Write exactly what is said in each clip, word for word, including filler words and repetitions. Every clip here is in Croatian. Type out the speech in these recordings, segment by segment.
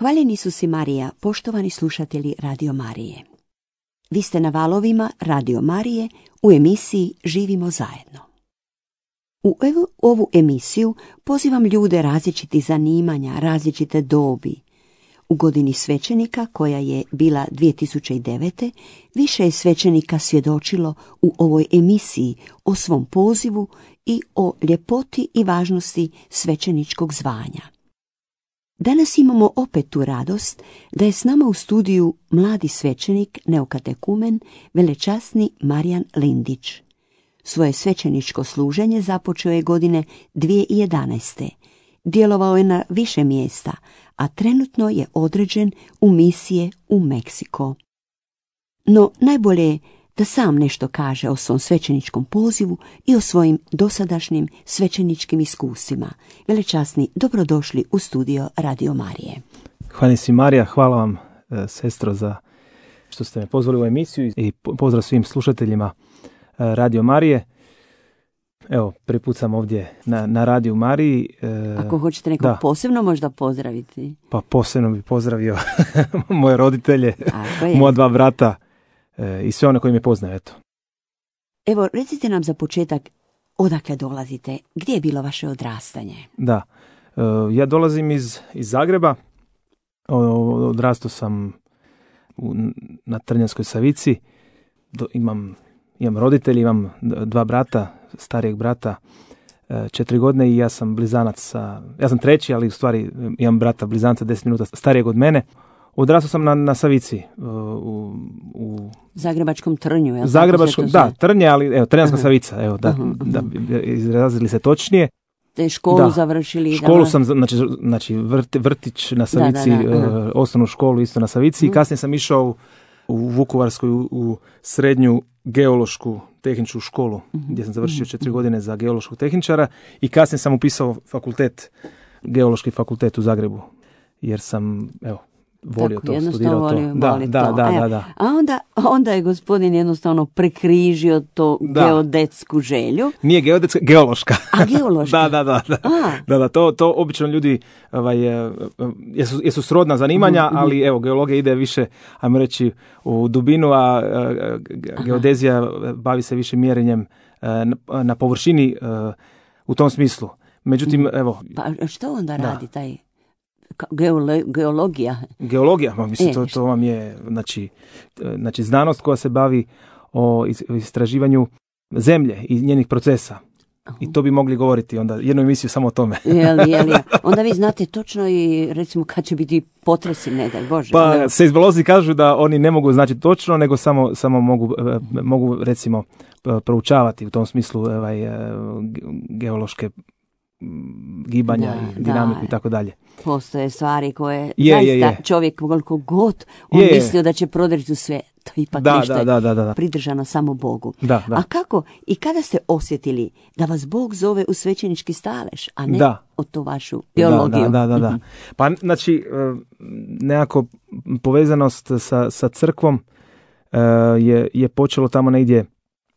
Hvaljeni su si Marija, poštovani slušatelji Radio Marije. Vi ste na valovima Radio Marije u emisiji Živimo zajedno. U evo, ovu emisiju pozivam ljude različitih zanimanja, različite dobi. U godini svećenika, koja je bila dvije tisuće devete. više je svećenika svjedočilo u ovoj emisiji o svom pozivu i o ljepoti i važnosti svećeničkog zvanja. Danas imamo opet tu radost da je s nama u studiju mladi svećenik, neokatekumen, velečasni Marijan Lindić. Svoje svećeničko služenje započeo je godine dvije tisuće jedanaeste. Djelovao je na više mjesta, a trenutno je određen u misije u Meksiko. No najbolje je da sam nešto kaže o svom svećeničkom pozivu i o svojim dosadašnjim svećeničkim iskustvima. Velečasni, dobrodošli u studio Radio Marije. Hvala si Marija, hvala vam sestro za što ste me pozvali u emisiju i pozdrav svim slušateljima Radio Marije. Evo, prvi put sam ovdje na, na Radio Mariji. Ako hoćete nekog da. posebno možda pozdraviti. Pa posebno bih pozdravio moje roditelje, moja dva brata i sve one koji me poznaju, eto. Evo, recite nam za početak odakle dolazite, gdje je bilo vaše odrastanje? Da, ja dolazim iz, iz Zagreba, odrastao sam u, na Trnjanskoj Savici, Do, imam, imam roditelji, imam dva brata, starijeg brata, četiri godine i ja sam blizanac sa, ja sam treći, ali u stvari imam brata blizanca deset minuta starijeg od mene. Odrastao sam na, na Savici. U, u Zagrebačkom Trnju. Je Zagrebačkom, da, Trnje, ali evo, Trnjanska uh-huh. Savica, evo, da, uh-huh. da bi izrazili se točnije. Te školu da. završili? Školu da... sam, znači, znači vrt, vrtić na Savici, da, da, da. Uh-huh. osnovnu školu isto na Savici uh-huh. i kasnije sam išao u Vukovarskoj u, u srednju geološku tehničku školu, uh-huh. gdje sam završio uh-huh. četiri godine za geološkog tehničara i kasnije sam upisao fakultet, geološki fakultet u Zagrebu, jer sam, evo, volio tako, to, studirao volio, to. Da, da, to. da, da, da. A onda, onda je gospodin jednostavno prekrižio to da. geodetsku želju. Nije geodetska, geološka. A geološka? da, da, da. Da, da, da to, to obično ljudi ovaj, jesu, jesu srodna zanimanja, uh-huh. ali evo, geologija ide više, ajmo reći, u dubinu, a geodezija Aha. bavi se više mjerenjem na, na površini u tom smislu. Međutim, uh-huh. evo... Pa što onda da. radi taj... Geolo, geologija. Geologija, mislim, e, to, to vam je znači, znači znanost koja se bavi o istraživanju zemlje i njenih procesa. Uh-huh. I to bi mogli govoriti onda jednu emisiju samo o tome. Jeli, jeli. Onda vi znate točno i recimo kad će biti potresi, ne daj Bože. Pa onda... seizmolozi kažu da oni ne mogu znači točno, nego samo, samo mogu, mogu recimo proučavati u tom smislu ovaj, geološke gibanja da, i dinamiku da. i tako dalje. Postoje stvari koje je, zaista je, je. čovjek koliko god on je, mislio da će prodreći u sve, to ipak da, nešto da, da, da, da. pridržano samo Bogu. Da, da. A kako i kada ste osjetili da vas Bog zove u svećenički stalež, a ne da. o to vašu teologiju? Da, da, da, da. Pa znači nekako povezanost sa, sa crkvom je, je počelo tamo negdje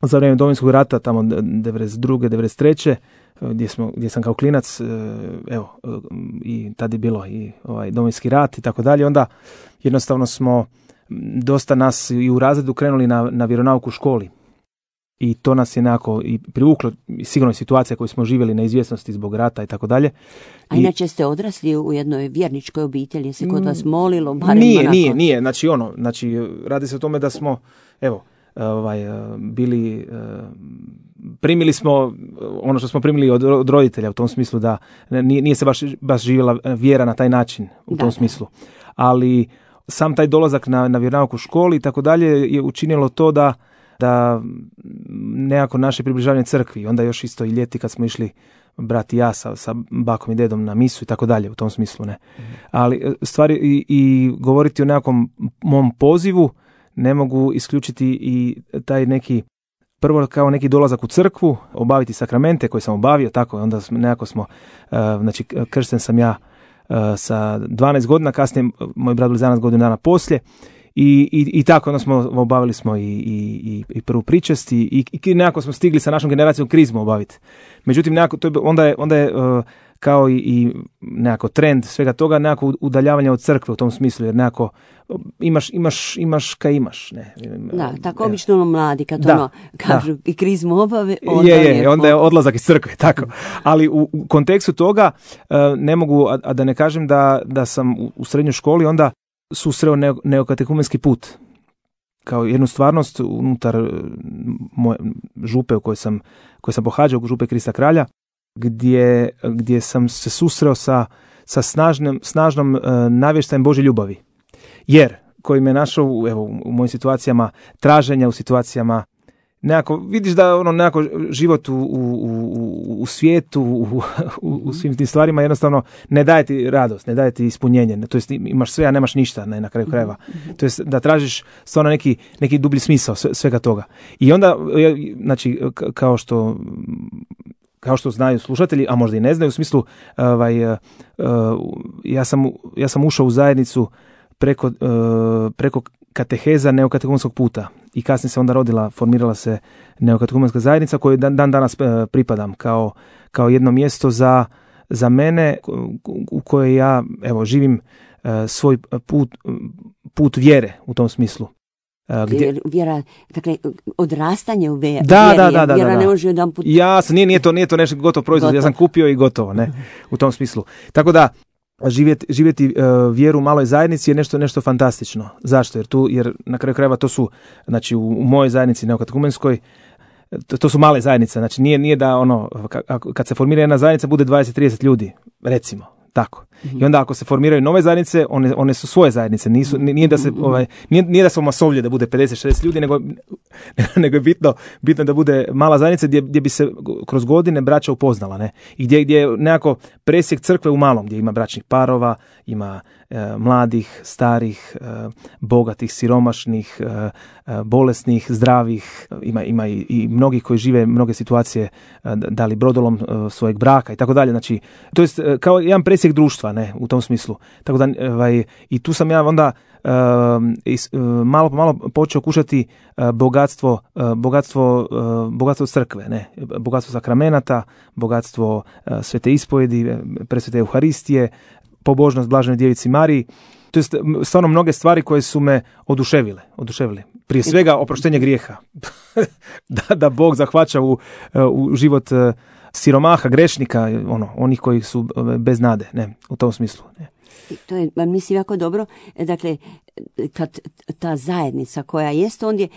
za vrijeme Domovinskog rata, tamo devedeset druge devedeset treće Gdje, smo, gdje sam kao klinac, evo, i tad je bilo i ovaj Domovinski rat i tako dalje, onda jednostavno smo dosta nas i u razredu krenuli na, na vjeronauku u školi. I to nas je nekako i privuklo, sigurno situacija koju smo živjeli na izvjesnosti zbog rata i tako dalje. A inače ste odrasli u jednoj vjerničkoj obitelji, je se kod vas molilo? Barem nije, onako... nije, nije, znači ono, znači radi se o tome da smo, evo, ovaj, bili, primili smo ono što smo primili od, od roditelja u tom smislu da nije, nije se baš, baš živjela vjera na taj način u tom da, smislu. Ali sam taj dolazak na, na vjeronauk u školi i tako dalje je učinilo to da, da nekako naše približavanje crkvi, onda još isto i ljeti kad smo išli brat i ja sa, sa bakom i dedom na misu i tako dalje u tom smislu, ne. Mm. Ali stvari i, i govoriti o nekakvom mom pozivu ne mogu isključiti i taj neki, prvo kao neki dolazak u crkvu, obaviti sakramente koje sam obavio, tako, onda smo, nekako smo, uh, znači kršten sam ja uh, sa dvanaest godina, kasnije moj brat blizanac godinu dana poslije, i, i, i tako, onda smo obavili smo i, i, i prvu pričest i, i, i nekako smo stigli sa našom generacijom krizmu obaviti. Međutim, nekako, to je, onda je, onda je uh, kao i, i nekako trend svega toga, nekako udaljavanje od crkve u tom smislu, jer nekako imaš, imaš, imaš kaj imaš. Ne. Da, tako obično ono mladi, kad da, ono kažu da. i krizmu obave, onda je, je, je, onda je odlazak iz crkve, tako. Ali u, u kontekstu toga ne mogu, a, a da ne kažem da, da sam u, u srednjoj školi onda susreo neo, neokatekumenski put kao jednu stvarnost unutar moje župe u kojoj sam, koje sam pohađao, župe Krista Kralja, gdje, gdje sam se susreo sa, sa snažnim, snažnom uh, navještajem Božje ljubavi. Jer, koji me našao evo, u mojim situacijama traženja, u situacijama nekako, vidiš da ono nekako život u, u, u, u svijetu, u, u, u svim tim stvarima jednostavno ne daje ti radost, ne daje ti ispunjenje. To jest imaš sve, a nemaš ništa ne, na kraju krajeva. To jest da tražiš stvarno neki, neki dublji smisao svega toga. I onda, znači, kao što kao što znaju slušatelji, a možda i ne znaju, u smislu, ovaj, uh, ja, sam, ja sam ušao u zajednicu preko, uh, preko kateheza neokatekumenskog puta i kasnije se onda rodila, formirala se neokatekumenska zajednica koju dan, dan danas uh, pripadam kao, kao jedno mjesto za, za mene u kojoj ja evo, živim uh, svoj put, put vjere u tom smislu. Gdje... Vjera, dakle, odrastanje u vjeri. Da, da, da, da, vjera da, da. ne može jedan put... Jasno, nije, nije, to, nije to nešto gotov proizvod, gotovo. Ja sam kupio i gotovo, ne, u tom smislu. Tako da, živjeti, živjeti uh, vjeru u maloj zajednici je nešto, nešto fantastično. Zašto? Jer tu, jer na kraju krajeva to su, znači u, u mojoj zajednici neokatekumenskoj, to, to su male zajednice, znači nije, nije da ono, kad se formira jedna zajednica bude dvadeset do trideset ljudi, recimo. Tako. Mm-hmm. I onda ako se formiraju nove zajednice, one, one su svoje zajednice. Nisu, nije, da se, ovaj, nije, nije da smo masovlje da bude pedeset do šezdeset ljudi, nego, nego je bitno, bitno da bude mala zajednica gdje, gdje bi se kroz godine braća upoznala. Ne? I gdje, gdje je nekako presjek crkve u malom, gdje ima bračnih parova, ima e, mladih, starih, e, bogatih, siromašnih, e, e, bolesnih, zdravih. Ima, ima i, i mnogi koji žive mnoge situacije, e, da li brodolom e, svojeg braka i tako dalje. Znači, to je kao jedan presjek društva, ne, u tom smislu. Tako da, ovaj, i tu sam ja onda uh, is, uh, malo po malo počeo kušati uh, bogatstvo, uh, bogatstvo, uh, bogatstvo crkve, ne, bogatstvo sakramenata, bogatstvo uh, svete ispovjedi, presvete Euharistije, pobožnost Blaženoj Djevici Mariji. To je stvarno mnoge stvari koje su me oduševile, oduševile. Prije svega oproštenje grijeha. da, da Bog zahvaća u, u život uh, siromaha, grešnika, ono, onih koji su bez nade, ne, u tom smislu. Ne. To je, mislim, jako dobro. Dakle, kad ta zajednica koja jest, ondje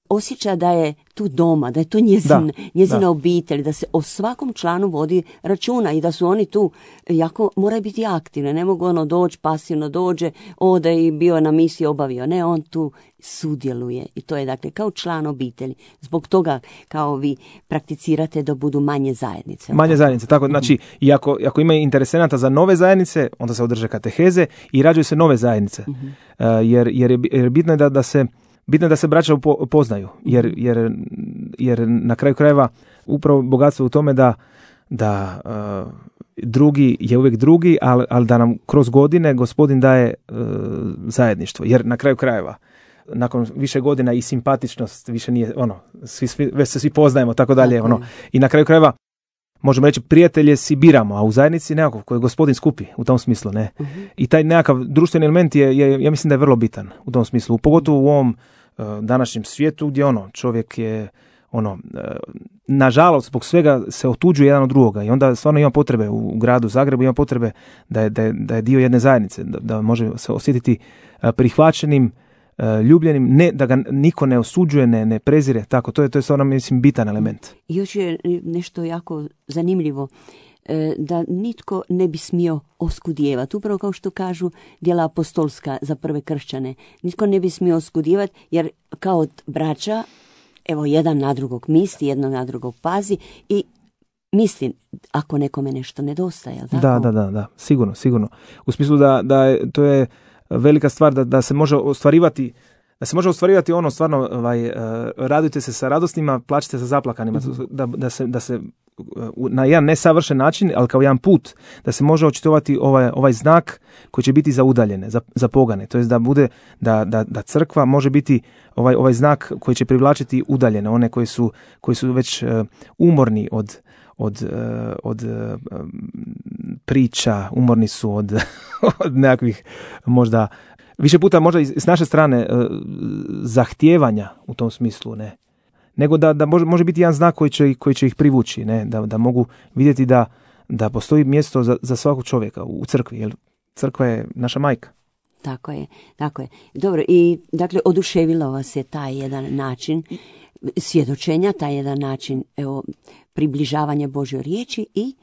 osjeća da je tu doma, da je to njezin, da, njezina da. obitelj, da se o svakom članu vodi računa i da su oni tu jako, moraju biti aktivni, ne mogu ono doći, pasivno dođe, ode i bio na misiji, obavio. Ne, on tu sudjeluje i to je dakle kao član obitelji. Zbog toga kao vi prakticirate da budu manje zajednice. Manje zajednice, tako, znači, i ako, ako ima interesenata za nove zajednice, onda se održe kateheze i rađaju se nove zajednice. Uh-huh. Uh, jer, jer, je, jer bitno je da, da se Bitno je da se braća upoznaju, jer, jer, jer na kraju krajeva upravo bogatstvo u tome da, da uh, drugi je uvijek drugi, ali, ali da nam kroz godine Gospodin daje uh, zajedništvo. Jer na kraju krajeva, nakon više godina i simpatičnost više nije, ono, svi, svi, već se svi poznajemo, tako dalje. Ono, i na kraju krajeva, možemo reći, prijatelje si biramo, a u zajednici nekako koji Gospodin skupi u tom smislu, ne. Uh-huh. I taj nekakav društveni element je, je, ja mislim da je vrlo bitan u tom smislu, pogotovo u ovom uh, današnjem svijetu gdje ono, čovjek je ono, uh, nažalost, zbog svega se otuđuje jedan od drugoga i onda stvarno ima potrebe u, u gradu Zagrebu, ima potrebe da je, da je, da je dio jedne zajednice, da, da može se osjetiti uh, prihvaćenim, ljubljenim, ne, da ga niko ne osuđuje, ne, ne prezire, tako, to je, to je stvarno, mislim, bitan element. I još je nešto jako zanimljivo, da nitko ne bi smio oskudijevati, upravo kao što kažu djela apostolska za prve kršćane, nitko ne bi smio oskudijevati, jer kao braća, evo, jedan na drugog misli, jedno na drugog pazi i mislim, ako nekome nešto nedostaje, tako? Da, da, da, da, sigurno, sigurno. U smislu da, da je, to je velika stvar da, da se može ostvarivati da se može ostvarivati ono stvarno ovaj, uh, radujte se sa radosnima, plačite sa zaplakanima, mm-hmm. da, da se, da se uh, na jedan nesavršen način, ali kao jedan put, da se može očitovati ovaj, ovaj znak koji će biti za udaljene, za, za pogane, to jest da bude da, da, da crkva može biti ovaj, ovaj znak koji će privlačiti udaljene, one koji su, koji su već uh, umorni od od, od priča, umorni su od, od nekakvih možda, više puta možda i s naše strane zahtijevanja u tom smislu, ne. Nego da, da može, može biti jedan znak koji će, koji će ih privući, ne, da, da mogu vidjeti da, da postoji mjesto za, za svakog čovjeka u crkvi, jer crkva je naša majka. Tako je, tako je. Dobro, i dakle, oduševilo vas je taj jedan način svjedočenja, taj jedan način, evo, približavanja Božjoj riječi i...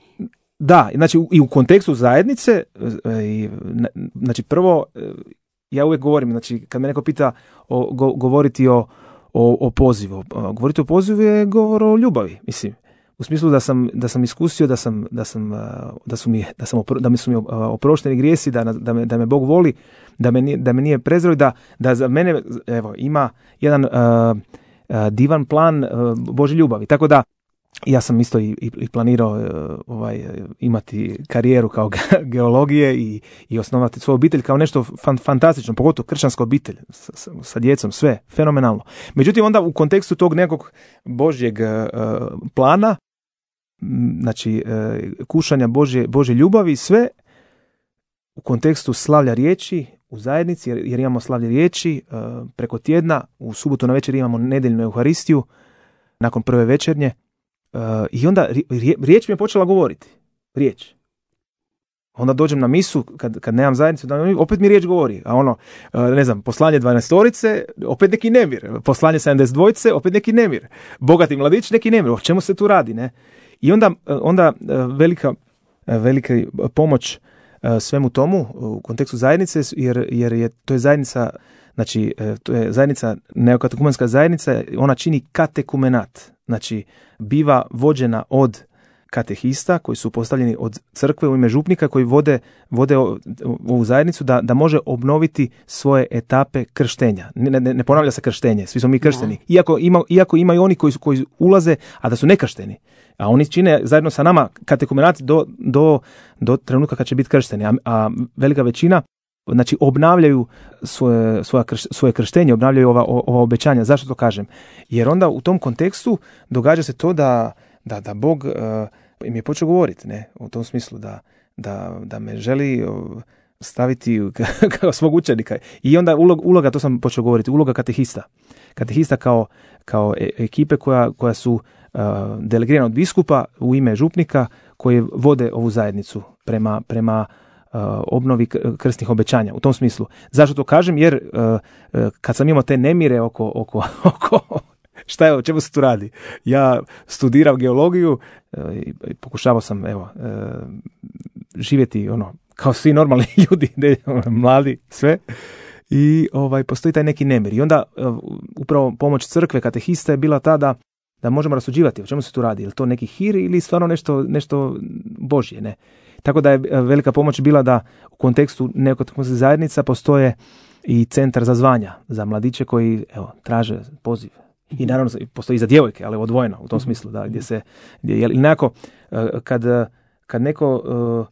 Da, znači i u kontekstu zajednice, i, znači prvo, ja uvijek govorim, znači kad me neko pita o, go, govoriti o O, o pozivu. Govoriti o pozivu je govor o ljubavi, mislim. U smislu da sam, da sam iskusio, da sam, da sam, da su mi, da sam opro, da mi su mi oprošteni grijesi, da, da, me, da me Bog voli, da me, da me nije prezreo, da, da za mene, evo, ima jedan uh, uh, divan plan uh, Božje ljubavi. Tako da ja sam isto i, i planirao uh, ovaj, imati karijeru kao geologije i, i osnovati svoju obitelj kao nešto fan, fantastično, pogotovo kršćanska obitelj sa, sa, sa djecom, sve, fenomenalno. Međutim, onda u kontekstu tog nekog Božjeg uh, plana, znači uh, kušanja Božje, Božje ljubavi, sve u kontekstu slavlja riječi u zajednici, jer, jer imamo slavlje riječi uh, preko tjedna, u subotu na večer imamo nedeljnu Euharistiju, nakon prve večernje. Uh, I onda riječ mi je počela govoriti. Riječ. Onda dođem na misu, kad, kad nemam zajednicu, opet mi riječ govori. A ono, uh, ne znam, poslanje dvanaestorice, opet neki nemir. Poslanje sedamdeset dvojice, opet neki nemir. Bogati mladić, neki nemir. O čemu se tu radi, ne? I onda, onda velika, velika pomoć svemu tomu u kontekstu zajednice, jer, jer je to je zajednica, znači to je zajednica, neokatekumenska zajednica, ona čini katekumenat, znači biva vođena od katehista koji su postavljeni od crkve u ime župnika koji vode, vode ovu zajednicu da, da može obnoviti svoje etape krštenja. Ne, ne, ne ponavlja se krštenje, svi smo mi kršteni. Iako, ima, iako imaju oni koji, koji ulaze, a da su nekršteni. A oni čine zajedno sa nama katekumenat do, do, do trenutka kad će biti kršteni. A, a velika većina znači obnavljaju svoje, svoje, krš, svoje krštenje, obnavljaju ova, ova obećanja. Zašto to kažem? Jer onda u tom kontekstu događa se to da, da, da Bog uh, im je počeo govoriti, ne, u tom smislu da, da, da me želi uh, staviti kao svog učenika. I onda uloga, uloga, to sam počeo govoriti, uloga katehista. Katehista kao, kao ekipe koja, koja su uh, delegirana od biskupa u ime župnika koji vode ovu zajednicu prema, prema uh, obnovi krstnih obećanja. U tom smislu. Zašto to kažem? Jer uh, uh, kad sam imao te nemire oko, oko, oko šta je, o čemu se tu radi? Ja studirao geologiju uh, i pokušavao sam evo, uh, živjeti ono, kao svi normalni ljudi, ne, mladi, sve. I ovaj, postoji taj neki nemir. I onda uh, upravo pomoć crkve, katehista je bila ta da, da možemo rasuđivati o čemu se tu radi. Je li to neki hir ili stvarno nešto, nešto Božje, ne? Tako da je velika pomoć bila da u kontekstu neokatekumenskih zajednica postoje i centar za zvanja, za mladiće koji evo, traže poziv. I naravno postoji i za djevojke, ali odvojeno u tom smislu. Da, gdje se, gdje, ili nekako, uh, kad, kad neko... Uh,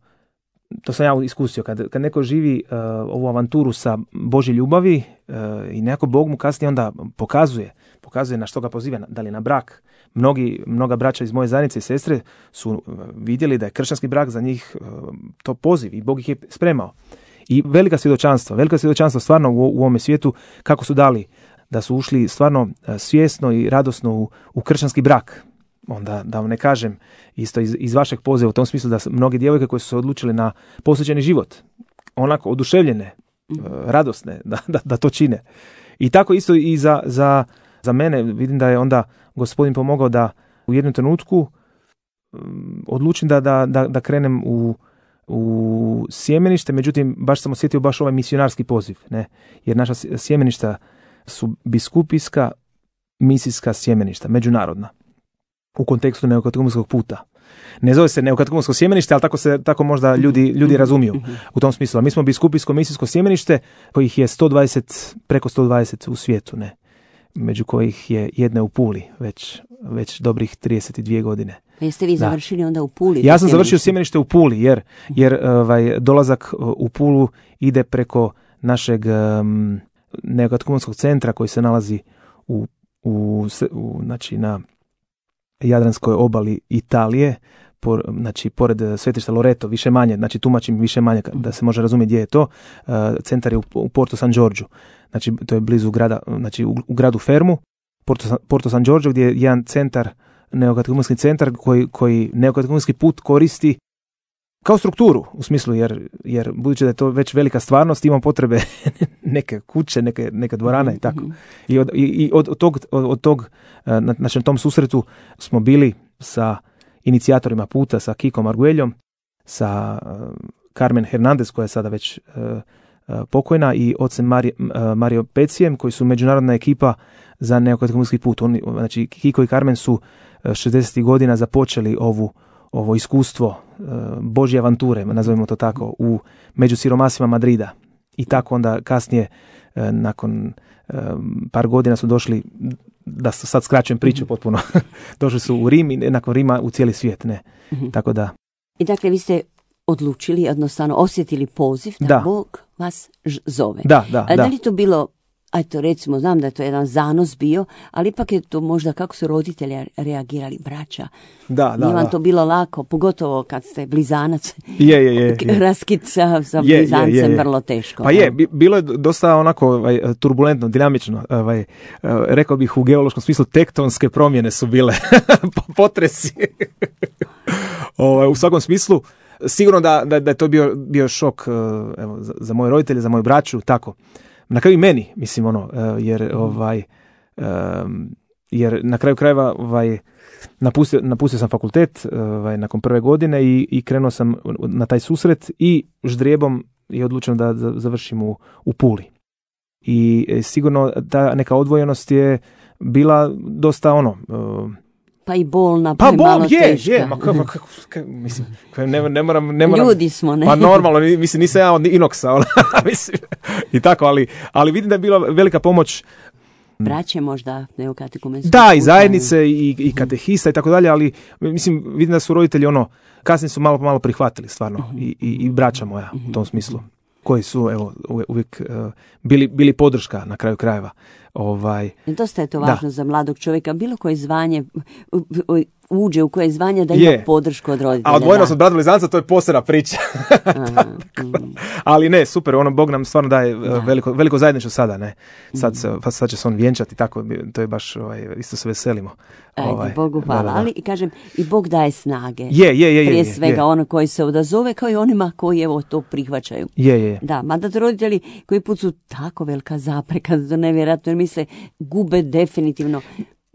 to sam ja iskusio, kad, kad neko živi uh, ovu avanturu sa Božje ljubavi uh, i nekako Bog mu kasnije onda pokazuje, pokazuje na što ga poziva, da li na brak. Mnogi, mnoga braća iz moje zajednice i sestre su uh, vidjeli da je kršćanski brak za njih uh, to poziv i Bog ih je spremao. I velika svjedočanstva, velika svjedočanstva stvarno u, u ovome svijetu kako su dali, da su ušli stvarno uh, svjesno i radosno u, u kršćanski brak. Onda da vam ne kažem isto iz, iz vašeg poziva u tom smislu da mnoge djevojke koje su se odlučile na posvećeni život, onako oduševljene, mm. radosne da, da, da to čine. I tako isto i za, za, za mene vidim da je onda Gospodin pomogao da u jednom trenutku um, odlučim da, da, da, da krenem u, u sjemenište, međutim baš sam osjetio baš ovaj misionarski poziv, ne? Jer naša sjemeništa su biskupijska misijska sjemeništa, međunarodna. U kontekstu neokatekumenskog puta. Ne zove se neokatekumensko sjemenište, ali tako se tako možda ljudi, ljudi razumiju u tom smislu. A mi smo biskupijsko misijsko sjemenište kojih je sto dvadeset, preko sto dvadeset u svijetu, ne. Među kojih je jedna u Puli već, već dobrih trideset dvije godine. Pa jeste vi završili da. Onda u Puli? Ja sam završio sjemenište u Puli, jer, jer ovaj, dolazak u Pulu ide preko našeg um, neokatekumenskog centra koji se nalazi u, u, u znači na Jadranskoj obali Italije, por, znači, pored svetišta Loreto, više manje, znači tumačim više manje da se može razumjeti gdje je to. Uh, centar je u, u Porto San Giorgio, znači to je blizu grada, znači u, u gradu Fermu, Porto, Porto San Giorgio, gdje je jedan centar, neokatehumenski centar koji, koji neokatehumenski put koristi kao strukturu, u smislu, jer, jer budući da je to već velika stvarnost, imamo potrebe neke kuće, neke, neke dvorane i tako. I od, i, i od, od tog, od, od tog na, znači, na tom susretu smo bili sa inicijatorima puta, sa Kikom Argueljom, sa uh, Carmen Hernandez, koja je sada već uh, uh, pokojna, i ocem Mari, uh, Mario Pecijem, koji su međunarodna ekipa za neokatehumenski put. Oni, znači, Kiko i Carmen su uh, šezdesetih godina započeli ovu ovo iskustvo uh, Božje avanture, nazovimo to tako, u među siromasima Madrida. I tako onda kasnije, uh, nakon uh, par godina su došli, da sad skraćujem priču potpuno, došli su u Rim i nakon Rima u cijeli svijet. Ne? Mm-hmm. Tako da. I dakle, vi ste odlučili, jednostavno osjetili poziv da, da. Bog vas ž- zove. Da, da, A, da. Da li to bilo, ajto recimo, znam da je to jedan zanos bio, ali ipak je to možda kako su roditelji reagirali, braća. Da, da, Nije vam da. to bilo lako, pogotovo kad ste blizanac. Je, je, je. je. Raskid sa, sa je, blizancem je, je, je. vrlo teško. Pa je, bilo je dosta onako ovaj, turbulentno, dinamično. Ovaj, rekao bih u geološkom smislu tektonske promjene su bile, potresi. ovaj, u svakom smislu, sigurno da, da, da je to bio, bio šok evo, za, za moje roditelje, za moju braću, tako. Na kraju i meni, mislim, ono, jer, ovaj, jer na kraju krajeva ovaj, napustio, napustio sam fakultet ovaj, nakon prve godine i, i krenuo sam na taj susret i ždrijebom je odlučeno da završim u, u Puli. I sigurno ta neka odvojenost je bila dosta ono... Pa i bolna, pa, pa i bol, malo je, teška. je, ma kako, kako, kako, mislim, ne, ne moram, ne moram... Ljudi smo, ne? Pa normalno, mislim, nisam ja od inoksa, ona, mislim, i tako, ali, ali vidim da je bila velika pomoć. Braće možda neokatehumenskog Da, puta. i zajednice, i, i katehista i tako dalje, ali mislim, vidim da su roditelji ono, kasnije su malo po malo prihvatili, stvarno, uh-huh. i, i, i braća moja uh-huh. u tom smislu, koji su, evo, uvijek uh, bili, bili podrška na kraju krajeva. Ovaj, dosta je to važno da. Za mladog čovjeka, bilo koje zvanje uđe u koje zvanje da ima je. Podršku od roditelja. A odvojenost od brata blizanca, to je posebna priča. Aha, mm. Ali ne, super, ono, Bog nam stvarno daje da. veliko, veliko zajedništvo sada, ne. Sad, mm. sad će se on vjenčati, tako, to je baš, ovaj, isto se veselimo. Ajde, ovaj, Bogu hvala, da, da, da. Ali i kažem, i Bog daje snage. Je, je, je. Prije je, svega je. ono koji se odazove, kao i onima koji evo to prihvaćaju. Je, je. Da, mada roditelji koji put su tako velika zapreka, da nevjerojatno, jer misle, gube definitivno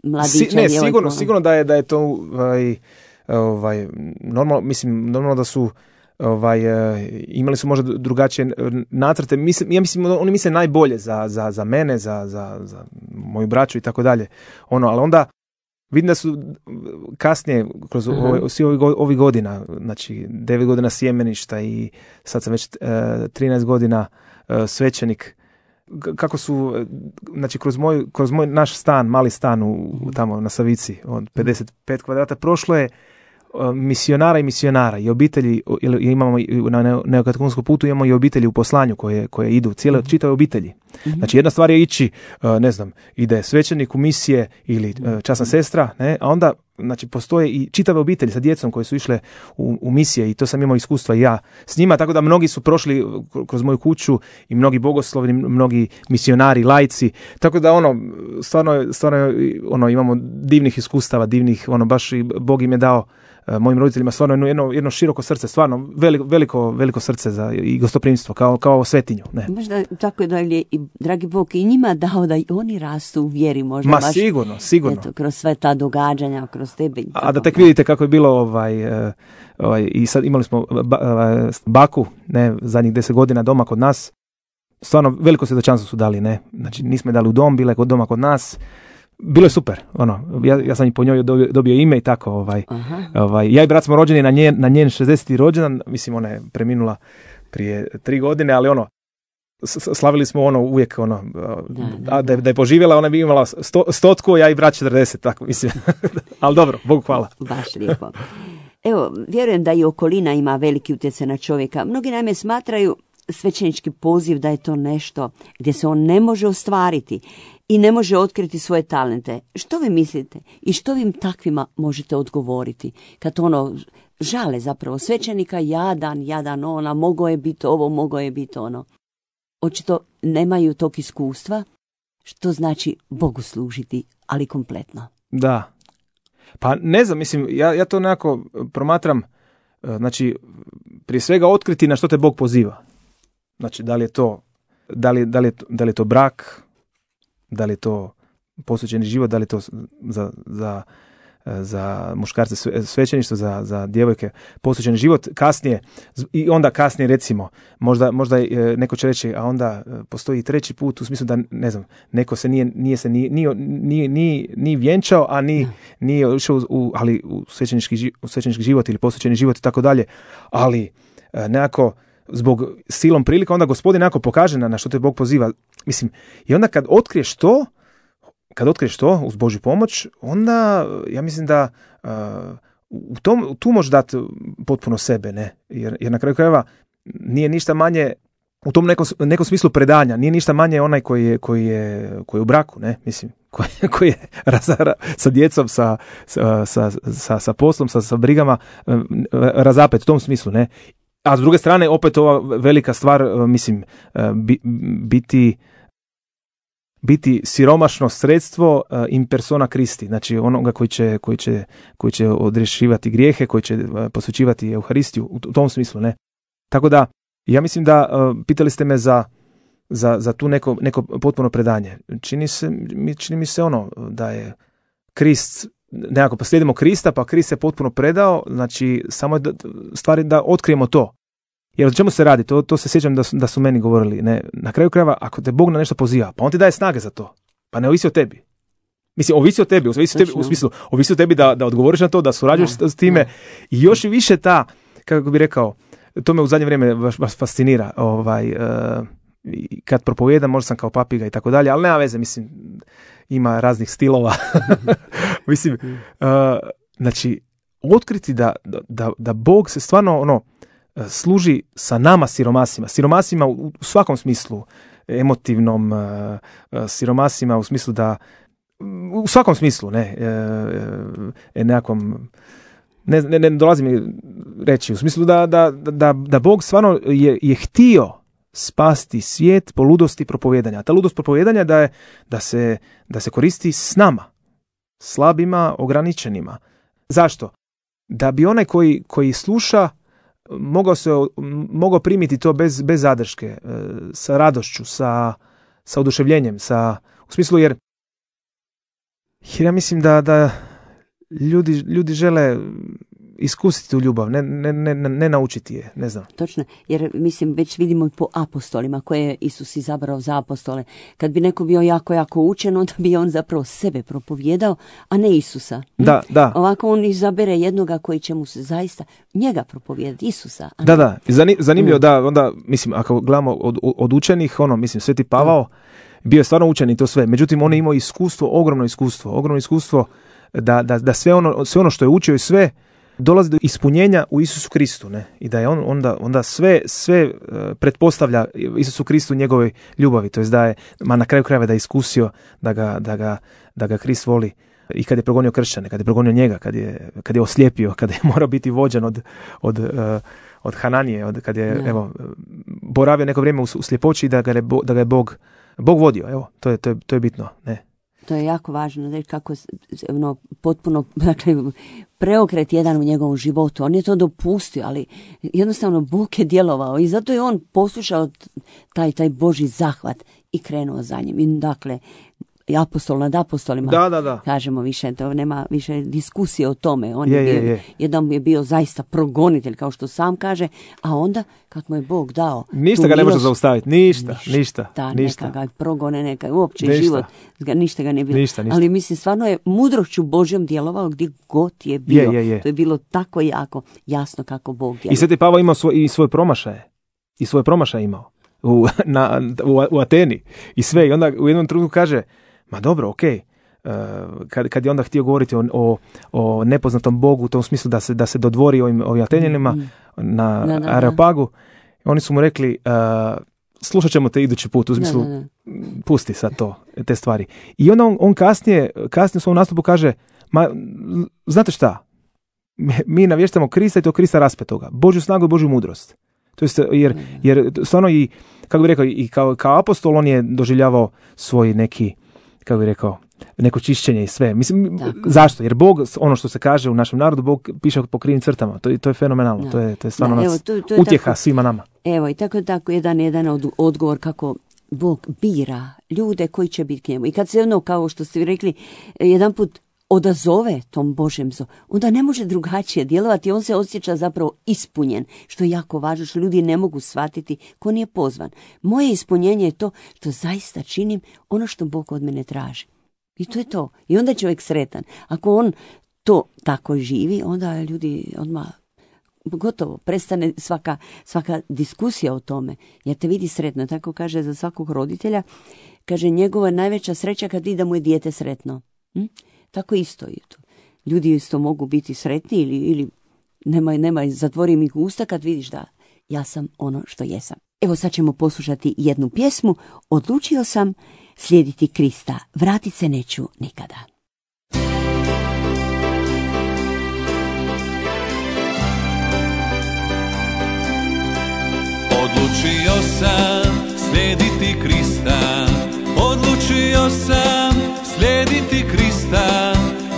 mladića. Si, ne, sigurno, sigurno da je, da je to ovaj, ovaj, normalno, mislim, normalno da su ovaj, imali su možda drugačije nacrte. Mislim, ja mislim, oni misle najbolje za, za, za mene, za, za, za moju braću i tako dalje. Ono, ali onda vidim da su kasnije, kroz uh-huh. ove, svi ovih ovi godina, znači devet godina sjemeništa i sad sam već uh, trinaest godina uh, svećenik, kako su, znači kroz moj, kroz moj naš stan, mali stan u, tamo na Savici, od pedeset pet kvadrata, prošlo je uh, misionara i misionara i obitelji, imamo na neokatehumenskom putu imamo i obitelji u poslanju koje, koje idu, cijele čitave obitelji. Mm-hmm. Znači jedna stvar je ići, uh, ne znam, ide svećenik u misije ili uh, časna sestra, ne, a onda znači postoje i čitave obitelji sa djecom koje su išle u, u misije i to sam imao iskustva i ja s njima, tako da mnogi su prošli kroz moju kuću i mnogi bogoslovni, mnogi misionari, laici, tako da ono, stvarno, stvarno ono, imamo divnih iskustava, divnih, ono, baš i Bog im je dao uh, mojim roditeljima stvarno jedno, jedno široko srce, stvarno veliko, veliko, veliko srce za i gostoprimstvo, kao, kao svetinju. Ne. Možda tako da je i dragi Bog i njima dao da i oni rastu u vjeri, možda Ma baš, sigurno, sigurno. Eto, kroz sve ta događanja, kroz tebe. I a da tek vidite kako je bilo ovaj, ovaj i sad imali smo ba, baku, ne, zadnjih deset godina doma kod nas. Stvarno veliko svjedočanstvo su dali, ne. Znači nismo je dali u dom, bile kod doma kod nas. Bilo je super, ono, ja, ja sam i po njoj dobio, dobio ime i tako, ovaj, ovaj, ja i brat smo rođeni na njen, na njen šezdeseti rođendan, mislim ona je preminula prije tri godine, ali ono, slavili smo ono uvijek, ono, da, da, da, je, da je poživjela, ona bi imala sto, stotku, ja i brat četrdeset, tako mislim, ali dobro, Bogu hvala. Baš lijepo. Evo, vjerujem da i okolina ima veliki utjecaj na čovjeka. Mnogi naime smatraju svećenički poziv da je to nešto gdje se on ne može ostvariti i ne može otkriti svoje talente. Što vi mislite i što vi im takvima možete odgovoriti? Kad ono žale zapravo svećenika, jadan, jadan ona, mogao je biti ovo, mogao je biti ono. Očito nemaju tog iskustva, što znači Bogu služiti, ali kompletno. Da. Pa ne znam, mislim, ja, ja to nekako promatram, znači, prije svega otkriti na što te Bog poziva. Znači, da li je to, da li, da li je to, da li je to brak, da li je to posvećeni život, da li je to za, za, za muškarce svećeništvo, za, za djevojke posvećeni život, kasnije, i onda kasnije recimo, možda, možda neko će reći, a onda postoji treći put, u smislu da, ne znam, neko se nije, nije se ni, ni, ni, ni, ni vjenčao, a ni, nije išao u, ali u svećenički, u svećenički život ili posvećeni život i tako dalje, ali nekako zbog silom prilika, onda Gospodin nekako pokaže na, na što te Bog poziva. Mislim, i onda kad otkriješ to, kad otkriješ to uz Božju pomoć, onda ja mislim da uh, u tom, tu možeš dati potpuno sebe, ne? Jer, jer na kraju krajeva nije ništa manje u tom nekom, nekom smislu predanja, nije ništa manje onaj koji je, koji je, koji je u braku, ne? Mislim, koji, koji je razara, sa djecom, sa, sa, sa, sa, sa poslom, sa, sa brigama, razapet u tom smislu, ne? A s druge strane, opet ova velika stvar, mislim, biti biti siromašno sredstvo in persona Christi, znači onoga koji će, koji će, koji će odrješivati grijehe, koji će posvećivati Euharistiju, u tom smislu, ne. Tako da, ja mislim da, pitali ste me za, za, za tu neko, neko potpuno predanje. Čini, se, čini mi se ono da je Krist, nekako pa slijedimo Krista, pa Krist se potpuno predao, znači samo da, stvari da otkrijemo to. Jer o čemu se radi? To, to se sjećam da su, da su meni govorili. Ne, na kraju krajeva, ako te Bog na nešto poziva, pa on ti daje snage za to. Pa ne ovisi o tebi. Mislim, ovisi o tebi, ovisi o tebi u smislu, ovisi o tebi da, da odgovoriš na to, da surađuješ s, s time. I još i više ta, kako bi rekao, to me u zadnje vrijeme baš, baš fascinira. Ovaj, uh, kad propovijedam, možda sam kao papiga i tako dalje, ali nema veze, mislim, ima raznih stilova. mislim, uh, znači, otkriti da, da, da Bog se stvarno, ono, služi sa nama siromasima, siromasima u svakom smislu, emotivnom, siromasima u smislu da, u svakom smislu, ne, e, nekakvom, ne, ne, ne dolazi mi reći, u smislu da, da, da, da Bog stvarno je, je htio spasti svijet po ludosti propovijedanja. Ta ludost propovijedanja da, je, da, se, da se koristi s nama, slabima, ograničenima. Zašto? Da bi onaj koji, koji sluša mogao se mogao primiti to bez, bez zadrške, sa radošću, sa, sa oduševljenjem, sa, u smislu jer, jer ja mislim da, da ljudi, ljudi žele iskusiti tu ljubav, ne, ne, ne, ne naučiti je, ne znam. Točno, jer mislim već vidimo po apostolima koje je Isus izabrao za apostole. Kad bi neko bio jako, jako učen, onda bi on zapravo sebe propovjedao, a ne Isusa. Da, da. Ovako on izabere jednoga koji će mu se zaista njega propovijedati, Isusa. A da, da, zanimljivo mm. da, onda, mislim, ako gledamo od, od učenih, ono, mislim, Sveti Pavao mm. bio je stvarno učen i to sve, međutim, on je imao iskustvo, ogromno iskustvo, ogromno iskustvo da, da, da sve, ono, sve ono što je učio i sve dolazi do ispunjenja u Isusu Kristu, ne? I da je on onda, onda sve, sve uh, pretpostavlja Isusu Kristu njegove ljubavi, to jest da je, ma na kraju krajeva da je iskusio da ga, da ga, da ga Krist voli i kad je progonio kršćane, kad je progonio njega, kad je, kad je oslijepio, kad je morao biti vođen od, od, uh, od Hananije, od, kad je ja. evo, boravio neko vrijeme u, u sljepoći da ga je, da ga je Bog, Bog vodio, evo, to je, to je, to je bitno, ne? To je jako važno, da kako ono, potpuno dakle, preokret jedan u njegovom životu. On je to dopustio, ali jednostavno Bog je djelovao i zato je on poslušao taj, taj Božji zahvat i krenuo za njim. I dakle, apostol nad apostolima, da, da, da. kažemo više, to nema više diskusije o tome. On je, je, bio, je, je. jedan je bio zaista progonitelj, kao što sam kaže, a onda kad mu je Bog dao... Ništa ga ne može zaustaviti, ništa, ništa. ništa, da, ništa. Neka ga progone, neka uopće ništa. život, ništa ga ne bilo. Ništa, ništa. Ali mislim, stvarno je mudrošću Božjom djelovao gdje god je bio. Je, je, je. To je bilo tako jako jasno kako Bog djeluje. I Sveti Pavao imao svoj, i svoje promašaje. I svoje promašaje imao. U, na, u, u Ateni. I sve. I onda u jednom trenutku kaže, ma dobro, okej. Okay. Uh, kad, kad je onda htio govoriti o, o, o nepoznatom Bogu u tom smislu da se, da se dodvori ovim, ovim Atenjanima mm. na da, da, Areopagu, Oni su mu rekli, uh, slušat ćemo te idući put, u smislu, da, da, da. pusti sad to, te stvari. I onda on, on kasnije, kasnije u svom nastupu kaže, ma, znate šta, mi navještamo Krista i to Krista raspetoga, Božju snagu i Božju mudrost. To jest, jer, jer stvarno i, kako bih rekao, i kao, kao apostol on je doživljavao svoj neki, kako bih rekao, neko čišćenje i sve. Mislim, tako. Zašto? Jer Bog, ono što se kaže u našem narodu, Bog piše po krivim crtama. To, to je fenomenalno. Da. To je, to je stvarno Da, nas evo, to, to je utjeha tako, svima nama. Evo, i tako tako jedan, jedan od, odgovor kako Bog bira ljude koji će biti k njemu. I kad se ono, kao što ste vi rekli, jedan put odazove tom Božjem zovu, onda ne može drugačije djelovati, on se osjeća zapravo ispunjen, što je jako važno, što ljudi ne mogu shvatiti ko nije pozvan. Moje ispunjenje je to što zaista činim ono što Bog od mene traži. I to je to. I onda je čovjek sretan. Ako on to tako živi, onda ljudi odmah gotovo, prestane svaka, svaka diskusija o tome, jer te vidi sretno. Tako kaže za svakog roditelja, kaže njegova najveća sreća kad vidi da mu je dijete sretno. Hm? Tako isto je to. Ljudi isto mogu biti sretni ili, ili nemaj, nemaj, zatvori mi usta kad vidiš da ja sam ono što jesam. Evo sad ćemo poslušati jednu pjesmu. Odlučio sam slijediti Krista, vratit se neću nikada. Odlučio sam slijediti Krista, odlučio sam slijediti Krista,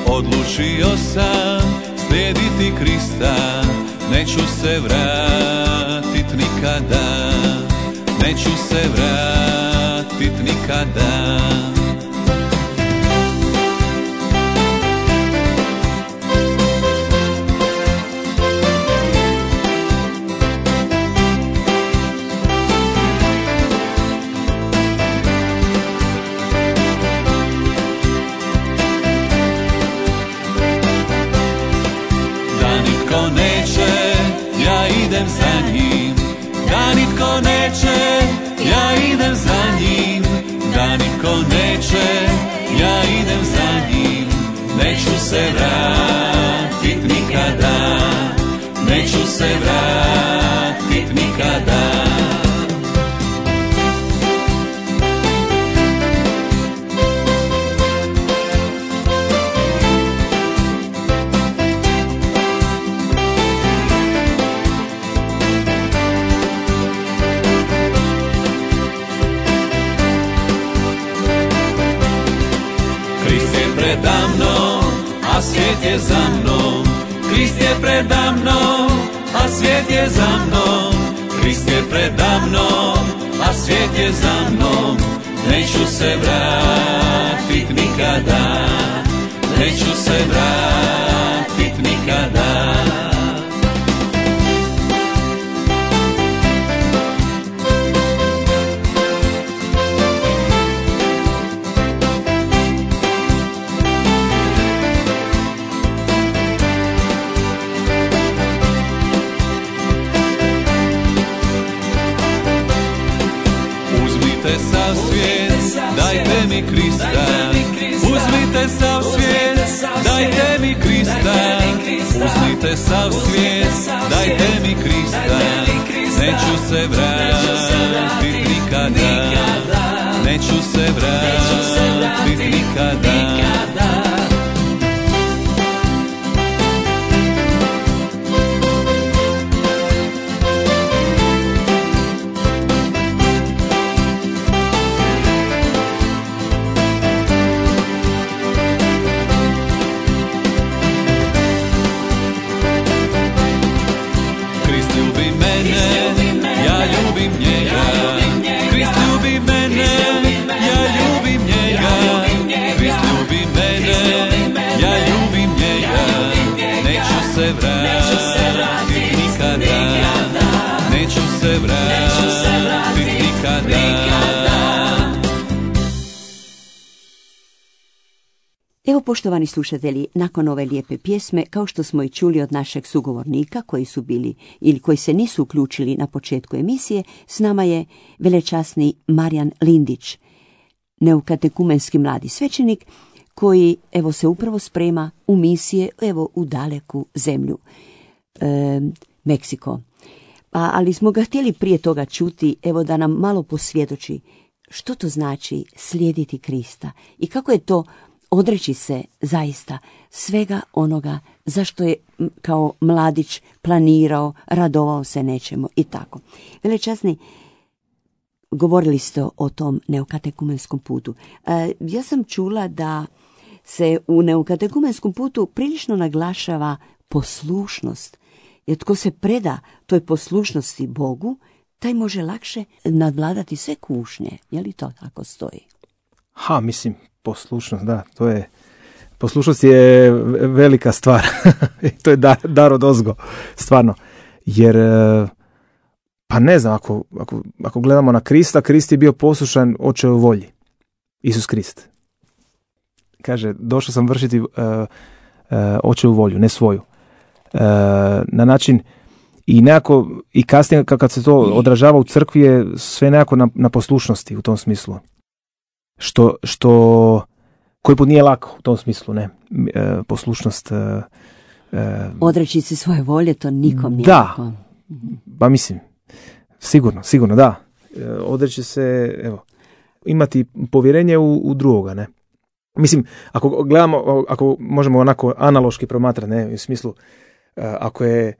odlučio sam slijediti Krista, neću se vratit nikada, neću se vratit nikada. Idem za njim, da nitko neće, ja idem za njim, da nitko neće, ja idem za njim, neću se vratit nikada, neću se vratit nikada. A svijet je za mnom, Krist je preda mnom, a svijet je za mnom, Krist je preda mnom, a svijet je za mnom, neću se vratit nikada, neću se vratit nikada. Sav svijet, dajte mi Krista, uzmite sav svijet, dajte mi Krista, uzmite sav svijet, dajte mi Krista, neću se vratit nikada, neću se vratit nikada. Evo, poštovani slušatelji, nakon ove lijepe pjesme, kao što smo i čuli od našeg sugovornika koji su bili ili koji se nisu uključili na početku emisije, s nama je velečasni Marijan Lindić, neokatekumenski mladi svećenik koji evo se upravo sprema u misije evo u daleku zemlju, e, Meksiko. A, ali smo ga htjeli prije toga čuti, evo da nam malo posvjedoči što to znači slijediti Krista i kako je to odreći se zaista svega onoga zašto je kao mladić planirao, radovao se nečemu i tako. Velečasni, govorili ste o tom neokatekumenskom putu. E, ja sam čula da se u neokatekumenskom putu prilično naglašava poslušnost. Jer tko se preda toj poslušnosti Bogu, taj može lakše nadvladati sve kušnje. Je li to tako stoji? Ha, mislim, poslušnost, da, to je, poslušnost je velika stvar. To je dar, dar od ozgo, stvarno. Jer, pa ne znam, ako, ako, ako gledamo na Krista, Krist je bio poslušan Očevoj volji. Isus Krist. Kaže, došao sam vršiti uh, uh, Očevu volju, ne svoju. Uh, na način, i nekako, i kasnije kad se to odražava u crkvi je sve nekako na, na poslušnosti u tom smislu. Što, što koji put nije lako u tom smislu, ne, e, poslušnost. E, e, Odreći se svoje volje, to nikom nije da, lako. Pa mislim, sigurno, sigurno, da. E, odreći se, evo, imati povjerenje u, u drugoga, ne. Mislim, ako gledamo, ako možemo onako analoški promatrati, ne, u smislu, e, ako je,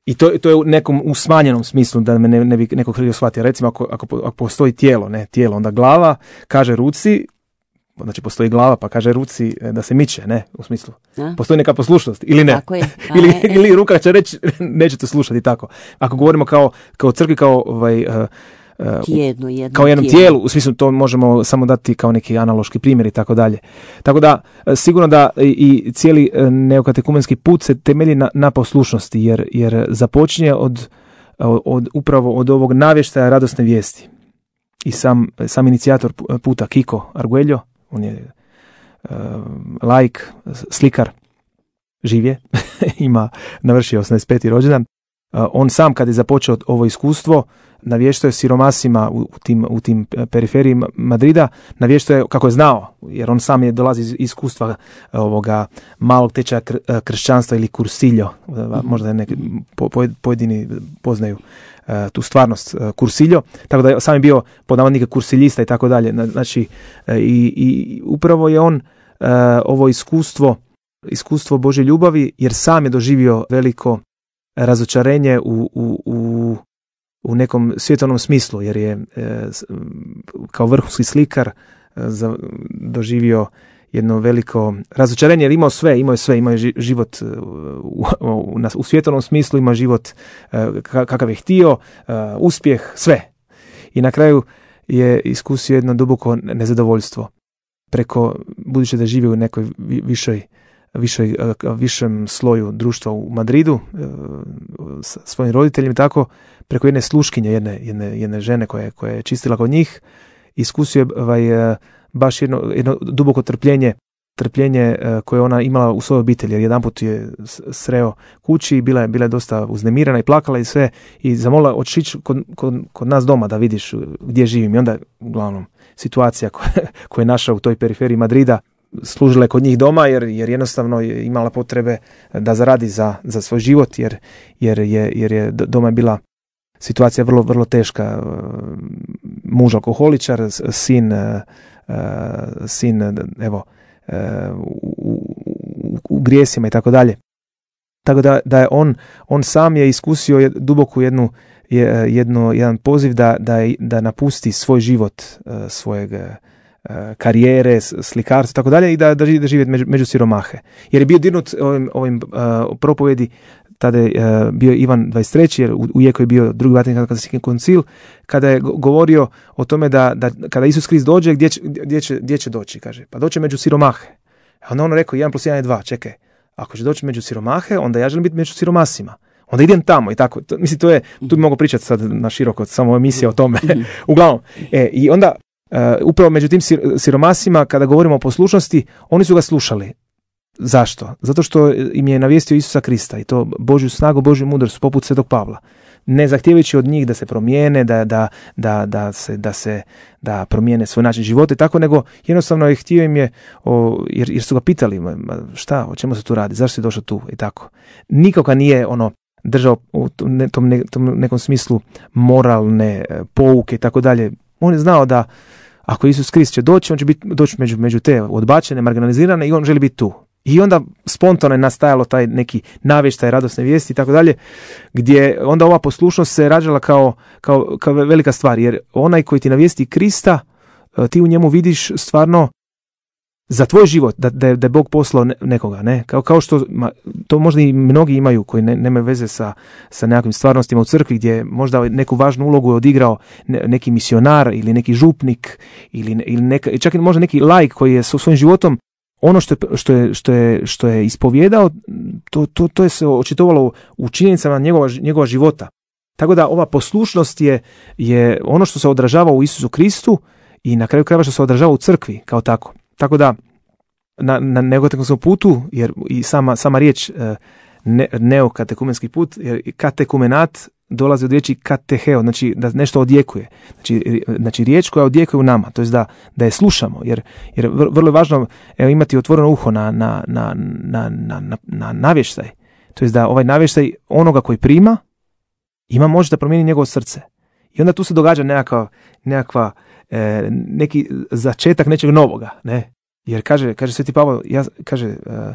i to, to je u nekom u smanjenom smislu, da me ne, ne bi neko krivo shvatio. Recimo, ako, ako, ako postoji tijelo, ne, tijelo, onda glava kaže ruci, znači postoji glava pa kaže ruci da se miče, ne, u smislu. A? Postoji neka poslušnost, ili ne. Tako je. ili, je, ili ruka će reći, nećete slušati, tako. Ako govorimo kao, kao crkvi, kao ovaj, uh, uh, Jedno, jedno kao jednom tijelu. tijelu, u smislu to možemo samo dati kao neki analoški primjer i tako dalje. Tako da, sigurno da i cijeli neokatekumenski put se temelji na, na poslušnosti, jer, jer započinje od, od, upravo od ovog navještaja radosne vijesti. I sam, sam inicijator puta, Kiko Arguello, on je uh, laik, slikar, živ je, ima, navršio osamdeset peti rođendan. Uh, on sam kad je započeo ovo iskustvo, navještao je siromasima u, u, tim, u tim periferiji Madrida, navještao je kako je znao, jer on sam je dolazi iz iskustva ovoga malog tečaja kr, kršćanstva ili kursiljo, mm-hmm. možda neki po, pojedini poznaju uh, tu stvarnost, uh, kursiljo, tako da je sam je bio pod navodnike kursiljista i tako dalje. Znači, uh, i, i upravo je on uh, ovo iskustvo, iskustvo Božje ljubavi, jer sam je doživio veliko razočarenje u, u, u u nekom svjetovnom smislu, jer je e, kao vrhunski slikar e, za, doživio jedno veliko razočarenje, jer imao sve, imao je sve, imao je život u, u, u svjetovnom smislu, ima život e, kakav je htio, e, uspjeh, sve. I na kraju je iskusio jedno duboko nezadovoljstvo. Preko, budući da živi u nekoj višoj Višoj, višem sloju društva u Madridu sa svojim roditeljima, tako preko jedne sluškinje, jedne, jedne, jedne žene koja, koja je čistila kod njih, iskusio je ovaj, baš jedno, jedno duboko trpljenje, trpljenje koje ona imala u svojoj obitelji, jer jedanput je sreo kući i bila je, bila je dosta uznemirana i plakala i sve, i zamolila otići kod, kod, kod nas doma da vidiš gdje živim. I onda, uglavnom, situacija koja, koja je našla u toj periferiji Madrida, služila je kod njih doma, jer, jer jednostavno je imala potrebe da zaradi za, za svoj život, jer, jer, je, jer je doma je bila situacija vrlo, vrlo teška. Muž alkoholičar, sin, sin evo, u, u, u grijesima i tako dalje. Tako da, da je on, on sam je iskusio duboku jednu, jedno, jedan poziv da, da, da napusti svoj život, svojeg karijere, slikarstva i tako dalje, i da, da, da živi među, među siromahe. Jer je bio dirnut ovim, ovim uh, propovjedi, tada je uh, bio Ivan dvadeset treći, jer u, u jeku je bio drugi Vatikanski koncil, kada je govorio o tome da, da kada Isus Krist dođe, gdje će, gdje će, gdje će doći, kaže, pa doće među siromahe. A onda on rekao, jedan plus jedan je dva, čekaj, ako će doći među siromahe, onda ja želim biti među siromasima. Onda idem tamo i tako. To, mislim, to je, tu bi mogu pričati sad na široko, samo emisija o tome. Uglavnom, e, i onda Uh, upravo među tim siromasima, kada govorimo o poslušnosti, oni su ga slušali. Zašto? Zato što im je navijestio Isusa Krista, i to Božju snagu, Božju mudrost, poput Svetog Pavla. Ne zahtijevajući od njih da se promijene, da, da, da, da, se, da, se, da promijene svoj način života i tako, nego jednostavno je htio im je, o, jer, jer su ga pitali, šta, o čemu se tu radi, zašto si došao tu i tako. Nikoga nije ono držao u tom, ne, tom, ne, tom nekom smislu moralne pouke i tako dalje. On je znao da ako Isus Krist će doći, on će biti, doći među, među te odbačene, marginalizirane i on želi biti tu. I onda spontano je nastajalo taj neki navještaj radosne vijesti i tako dalje, gdje onda ova poslušnost se rađala kao, kao, kao velika stvar, jer onaj koji ti navijesti Krista, ti u njemu vidiš stvarno za tvoj život, da, da, je, da je Bog poslao nekoga, ne? Kao, kao što ma, to možda i mnogi imaju koji ne, nemaju veze sa, sa nekakvim stvarnostima u crkvi, gdje možda neku važnu ulogu je odigrao ne, neki misionar ili neki župnik ili, ili neka, čak i možda neki laik koji je sa svojim životom ono što je, što je, što je, što je ispovjedao, to, to, to je se očitovalo u činjenicama njegova, njegova života. Tako da ova poslušnost je, je ono što se odražava u Isusu Kristu i na kraju krajeva što se odražava u crkvi kao tako. Tako da na, na neokatekumanskom putu, jer i sama, sama riječ ne, neokatekumenski put, jer katekumenat dolazi od riječi kateheo, znači da nešto odjekuje. Znači, znači riječ koja odjekuje u nama, to jest da, da je slušamo, jer, jer vrlo je važno evo, imati otvoreno uho na, na, na, na, na, na, na navještaj. To jest da ovaj navještaj onoga koji prima ima moć da promijeni njegovo srce. I onda tu se događa nekakva, nekakva e, neki začetak nečeg novoga, ne? Jer kaže, kaže Sveti Pavao, ja, kaže, e, e,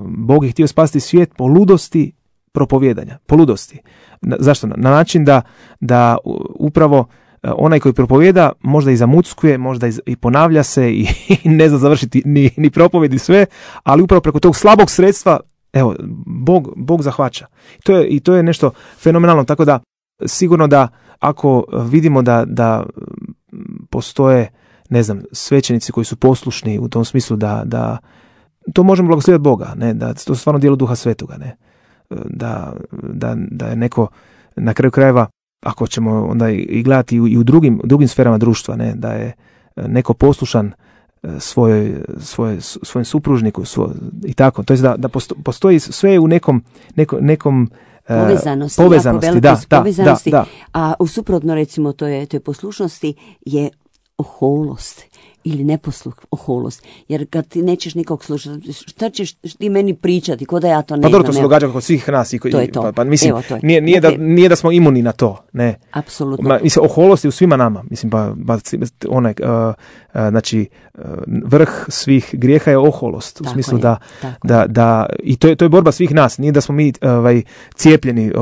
Bog je htio spasiti svijet po ludosti propovijedanja, po ludosti. Na, zašto? Na način da, da upravo onaj koji propovijeda možda i zamuckuje, možda i, i ponavlja se i, i ne zna završiti ni, ni propovjedi sve, ali upravo preko tog slabog sredstva, evo, Bog, Bog zahvaća. To je, I to je nešto fenomenalno, tako da sigurno da ako vidimo da, da postoje, ne znam, svećenici koji su poslušni u tom smislu da, da to možemo blagosloviti Boga, ne, da to je stvarno djelo Duha Svetoga, ne. Da, da, da je neko na kraju krajeva, ako ćemo onda i gledati i u drugim, drugim sferama društva, ne, da je neko poslušan svojoj, svoj, svojem supružniku svoj, i tako, to je da, da postoji sve u nekom, neko, nekom povezanosti, povezanosti, jako da, da, povezanosti, da, da. A u suprotno recimo to je, to je poslušnosti je oholost ili neposluh, oholost. Jer kad ti nećeš nikog slušati, šta ćeš ti meni pričati, ko da ja to ne pa znam. Pa dobro, to se događa kod svih nas. I, to je to. Pa, pa mislim, Evo, to je. Nije, nije, dakle, da, nije da smo imuni na to, ne. Apsolutno. Ma, mislim, oholost je u svima nama. Mislim, pa, pa onaj, uh, uh, znači, uh, vrh svih grijeha je oholost. U tako smislu je, da, da, da, i to je, to je borba svih nas. Nije da smo mi ovaj, cijepljeni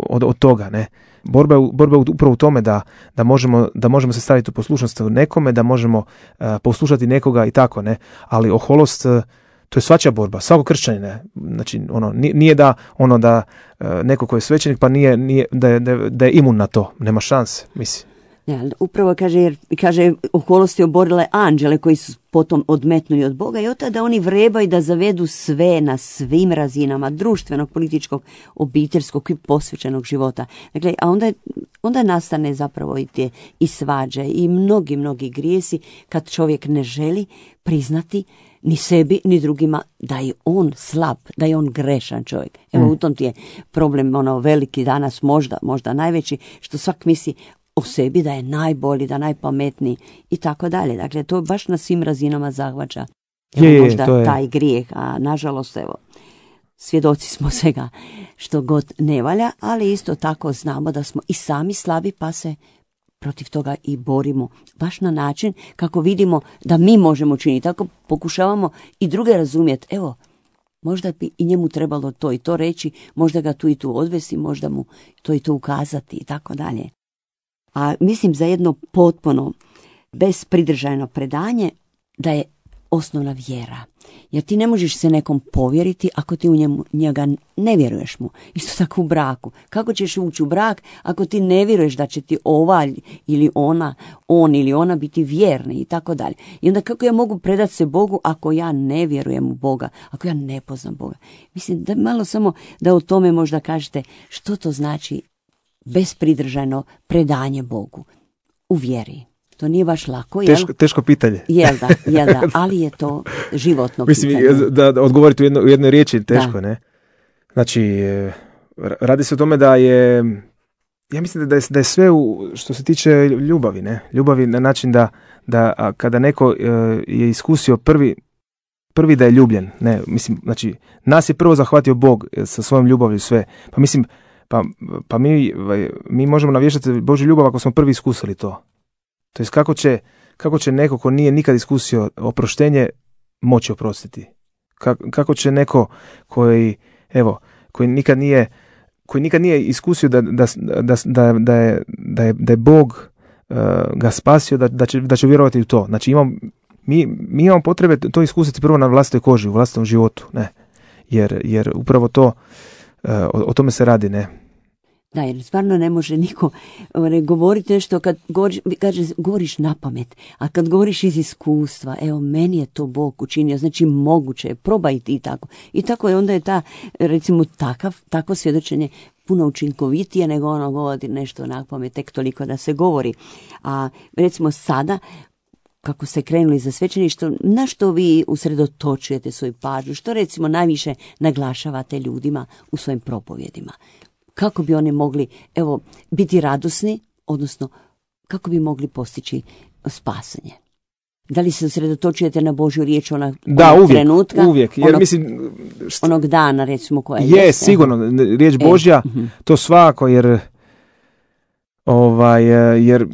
od, od toga, ne. Borba je, borba je upravo u tome da, da, možemo, da možemo se staviti u poslušnost nekome, da možemo uh, poslušati nekoga i tako, ne. Ali oholost, uh, to je svačija borba, svako kršćanin, ne. Znači, ono, nije da ono da uh, neko ko je svećenik pa nije, nije da, je, da je imun na to, nema šanse, mislim. Ja, upravo kaže, jer kaže oholost je oborile anđele koji su potom odmetnuli od Boga i od tada oni vrebaju da zavedu sve na svim razinama društvenog, političkog, obiteljskog i posvećenog života. Dakle, a onda, onda nastane zapravo i te i svađe i mnogi, mnogi grijesi kad čovjek ne želi priznati ni sebi, ni drugima da je on slab, da je on grešan čovjek. Evo mm. u tom ti je problem ono veliki danas, možda, možda najveći, što svak misli o sebi da je najbolji, da najpametniji i tako dalje. Dakle, to baš na svim razinama zahvaća. Evo je, možda to je. taj grijeh, a nažalost, evo, svjedoci smo svega što god ne valja, ali isto tako znamo da smo i sami slabi, pa se protiv toga i borimo. Baš na način kako vidimo da mi možemo činiti. Tako pokušavamo i druge razumjeti. Evo, možda bi i njemu trebalo to i to reći, možda ga tu i tu odvesti, možda mu to i to ukazati i tako dalje. A mislim za jedno potpuno bespridržajno predanje da je osnovna vjera. Jer ti ne možeš se nekom povjeriti ako ti u njemu, njega ne vjeruješ mu. Isto tako u braku. Kako ćeš ući u brak ako ti ne vjeruješ da će ti ova ili ona, on ili ona biti vjerni i tako dalje. I onda kako ja mogu predati se Bogu ako ja ne vjerujem u Boga, ako ja ne poznam Boga. Mislim da malo samo da o tome možda kažete što to znači bespridržajno predanje Bogu u vjeri. To nije baš lako, jel? Teško, teško pitanje. Jel da, jel da, ali je to životno Mislim, pitanje. Mislim, da, da odgovoriti u, jedno, u jednoj riječi teško, da. Ne? Znači, radi se o tome da je, ja mislim da je, da je sve u, što se tiče ljubavi, ne? Ljubavi na način da, da kada neko je iskusio prvi, prvi da je ljubljen. Ne, mislim, znači, nas je prvo zahvatio Bog sa svojom ljubavlju sve. Pa mislim, pa, pa mi, mi možemo navještati Božju ljubav ako smo prvi iskusili to. To jest kako će, kako će neko ko nije nikad iskusio oproštenje moći oprostiti. Kako, kako će neko koji, evo, koji nikad nije, koji nikad nije iskusio da, da, da, da, da, je, da, je, da je Bog uh, ga spasio, da, da, će, da će vjerovati u to. Znači imam, mi, mi imamo potrebe to iskusiti prvo na vlastitoj koži, u vlastitom životu, ne. Jer, jer upravo to, uh, o, o tome se radi, ne. Da, jer stvarno ne može niko ne, govoriti nešto kad govoriš, kaže, govoriš na pamet, a kad govoriš iz iskustva, evo, meni je to Bog učinio, znači moguće je, probaj i tako. I tako je, onda je ta, recimo, takav, takvo svjedočenje puno učinkovitije nego ono govori nešto na pamet, tek toliko da se govori. A recimo sada, kako ste krenuli za svećeništvo, na što vi usredotočujete svoju pažnju, što recimo najviše naglašavate ljudima u svojim propovjedima? Kako bi oni mogli, evo, biti radosni, odnosno kako bi mogli postići spasanje? Da li se usredotočujete na Božju riječ onog, da, onog uvijek, trenutka? Uvijek, jer onog, mislim... Št... Onog dana, recimo, koja je... Je, sigurno, riječ Božja, e, to svako, jer... Ovaj, jer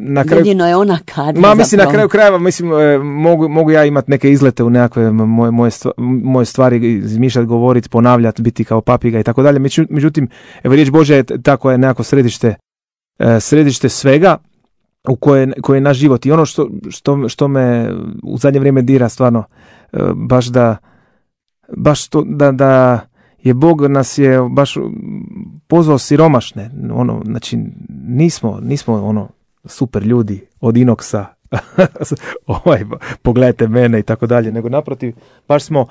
na kraju... Jedino je ona kad... Ma, mislim, zapravo. Na kraju krajeva, mislim, mogu, mogu ja imati neke izlete u nekakve moje, moje, stvari, moje stvari, izmišljati, govoriti, ponavljati, biti kao papiga i tako dalje. Međutim, evo, riječ Božja je tako je nekako središte, središte svega u koje, koje je naš život. I ono što, što, što me u zadnje vrijeme dira stvarno, baš da, baš to, da, da je Bog nas je baš pozvao siromašne, ono, znači nismo, nismo ono super ljudi od inoksa, ovaj, pogledajte mene i tako dalje, nego naprotiv, baš smo,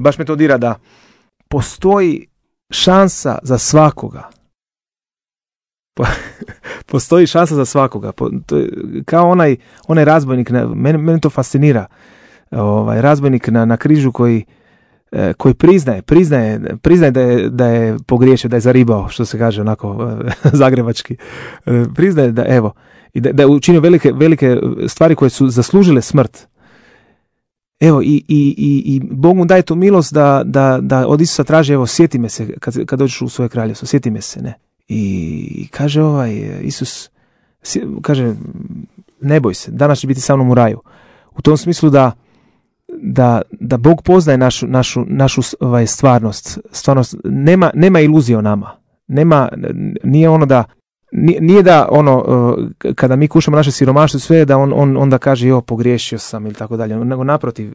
baš me to dira da postoji šansa za svakoga. Postoji šansa za svakoga. To je kao onaj, onaj razbojnik, mene, mene to fascinira, ovaj, razbojnik na, na križu koji koji priznaje, priznaje, priznaje da je, da je pogriješio, da je zaribao, što se kaže onako zagrebački. Priznaje da, evo, i da, da je učinio velike, velike stvari koje su zaslužile smrt. Evo, i, i, i, i Bog mu daje tu milost da, da, da od Isusa traži, evo, sjeti me se, kad, kad dođeš u svoje kraljevstvo, sjeti me se, ne. I kaže ovaj, Isus, kaže, ne boj se, danas će biti sa mnom u raju. U tom smislu da Da, da Bog poznaje našu, našu, našu ovaj, stvarnost. Stvarnost nema, nema iluzije o nama. Nema, nije ono da, nije da ono, kada mi kušamo naše siromaštvo, sve da on, on onda kaže, jo, pogriješio sam ili tako dalje. Nego naprotiv,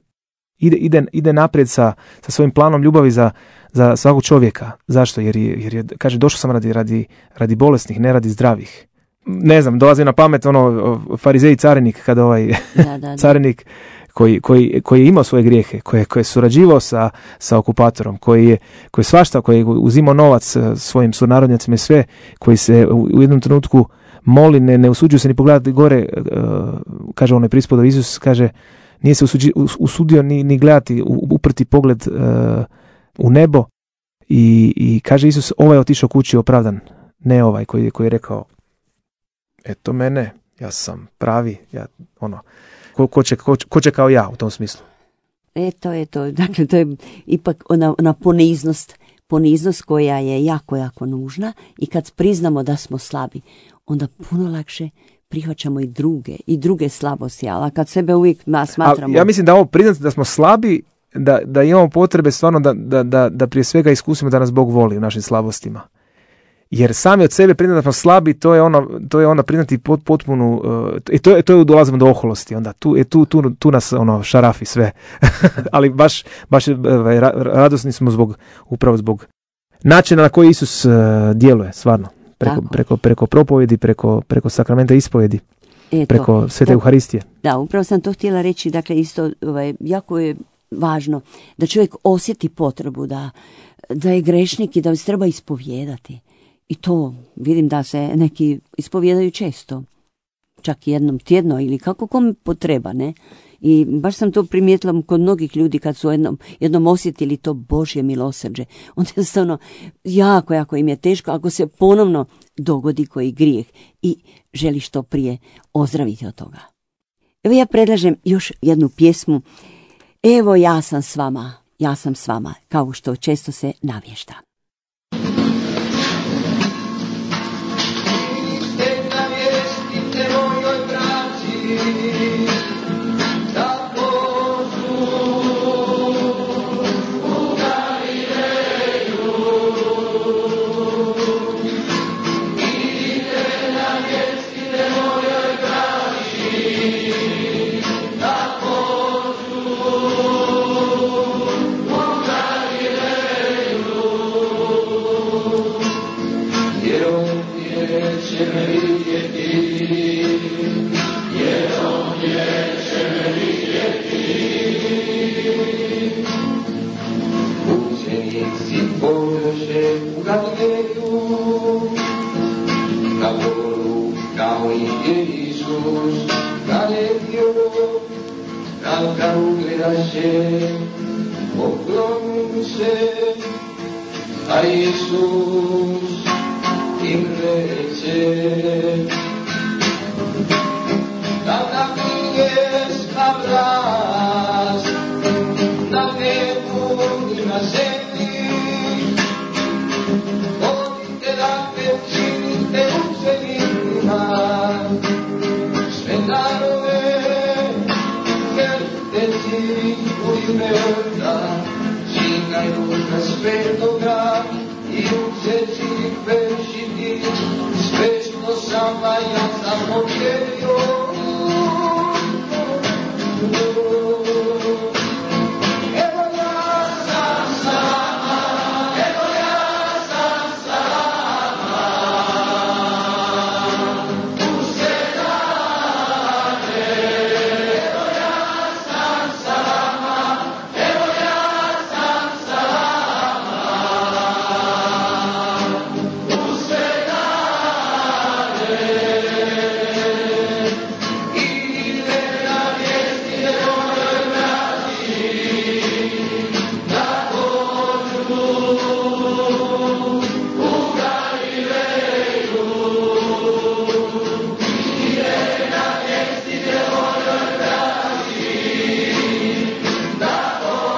ide, ide, ide naprijed sa, sa svojim planom ljubavi za, za svakog čovjeka. Zašto? Jer je, jer je, kaže, došao sam radi, radi, radi bolesnih, ne radi zdravih. Ne znam, dolazi na pamet ono, farizej carinik, kada ovaj da, da, da. carinik Koji, koji, koji je imao svoje grijehe, koji, koji je surađivao sa, sa okupatorom, koji je, koji je svašta, koji je uzimao novac svojim sunarodnjacima i sve, koji se u, u jednom trenutku moli, ne, ne usuđuju se ni pogledati gore, uh, kaže onaj prispodov Isus, kaže, nije se usuđi, usudio ni, ni gledati, uprti pogled uh, u nebo i, i kaže Isus, ovaj je otišao kući opravdan, ne ovaj koji, koji je rekao, eto mene, ja sam pravi, ja ono, Ko, ko, će, ko, ko će kao ja u tom smislu? Eto, eto, dakle, to je ipak ona, ona poniznost, poniznost koja je jako, jako nužna i kad priznamo da smo slabi, onda puno lakše prihvaćamo i druge, i druge slabosti, ali kad sebe uvijek smatramo... A, ja mislim da ovo priznati da smo slabi, da, da imamo potrebe stvarno da, da, da, da prije svega iskusimo da nas Bog voli u našim slabostima. Jer sami od sebe priznati da smo slabi, to je ono, to je onda priznati pot, potpunu, i uh, to je, to je dolazimo do oholosti, onda tu, je, tu, tu, tu nas ono šarafi sve, ali baš, baš uh, radosni smo zbog, upravo zbog načina na koji Isus uh, djeluje, stvarno, preko, preko, preko propovjedi, preko, preko sakramenta ispovjedi, Eto, preko Svete Euharistije. Da, upravo sam to htjela reći, dakle isto ovaj, jako je važno da čovjek osjeti potrebu da, da je grešnik i da se treba ispovijedati. I to vidim da se neki ispovijedaju često, čak jednom tjedno ili kako kome potreba, ne? I baš sam to primijetila kod mnogih ljudi kad su jednom, jednom osjetili to Božje milosrđe. Onda jednostavno jako, jako im je teško ako se ponovno dogodi koji grijeh i želi što prije ozdraviti od toga. Evo ja predlažem još jednu pjesmu Evo ja sam s vama, ja sam s vama, kao što često se navješta. A Isus im reče, da nam nije vlast na nebu i na zemlji, odite dakle, činite učenicima sve narode, krsteci u ime Oca, Sina i Duha Svetoga, i učeći ih vršiti sve što sam vam ja zapovjedio. Evo ja sam s vama, evo ja sam s vama, u sve dane. Evo ja sam s vama, evo ja sam s vama, u sve dane. Idite navijestite mojoj braći, da dođu u Galileju. Idite navijestite mojoj braći, da dođu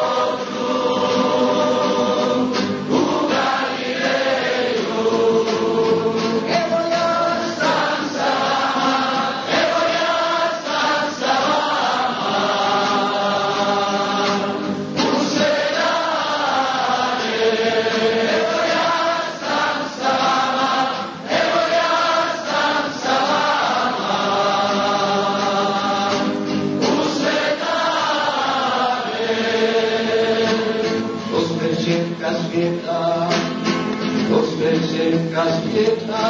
u Galileju. Evo ja sam s vama, evo ja sam s vama, u sve dane. Evo ja sam s vama, evo ja sam s vama, u sve dane. Osvećenka svijeta, osvećenka svijeta.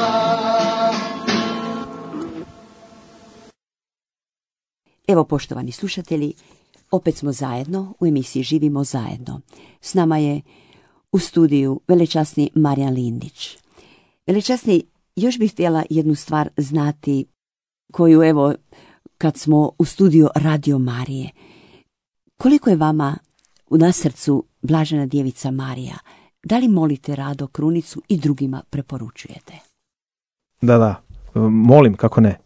Evo, poštovani slušatelji, opet smo zajedno u emisiji Živimo zajedno. S nama je u studiju velečasni Marijan Lindić. Velečasni, još bih htjela jednu stvar znati koju, evo, kad smo u studiju Radio Marije. Koliko je vama na srcu Blažena Djevica Marija? Da li molite rado krunicu i drugima preporučujete? Da, da, molim, kako ne.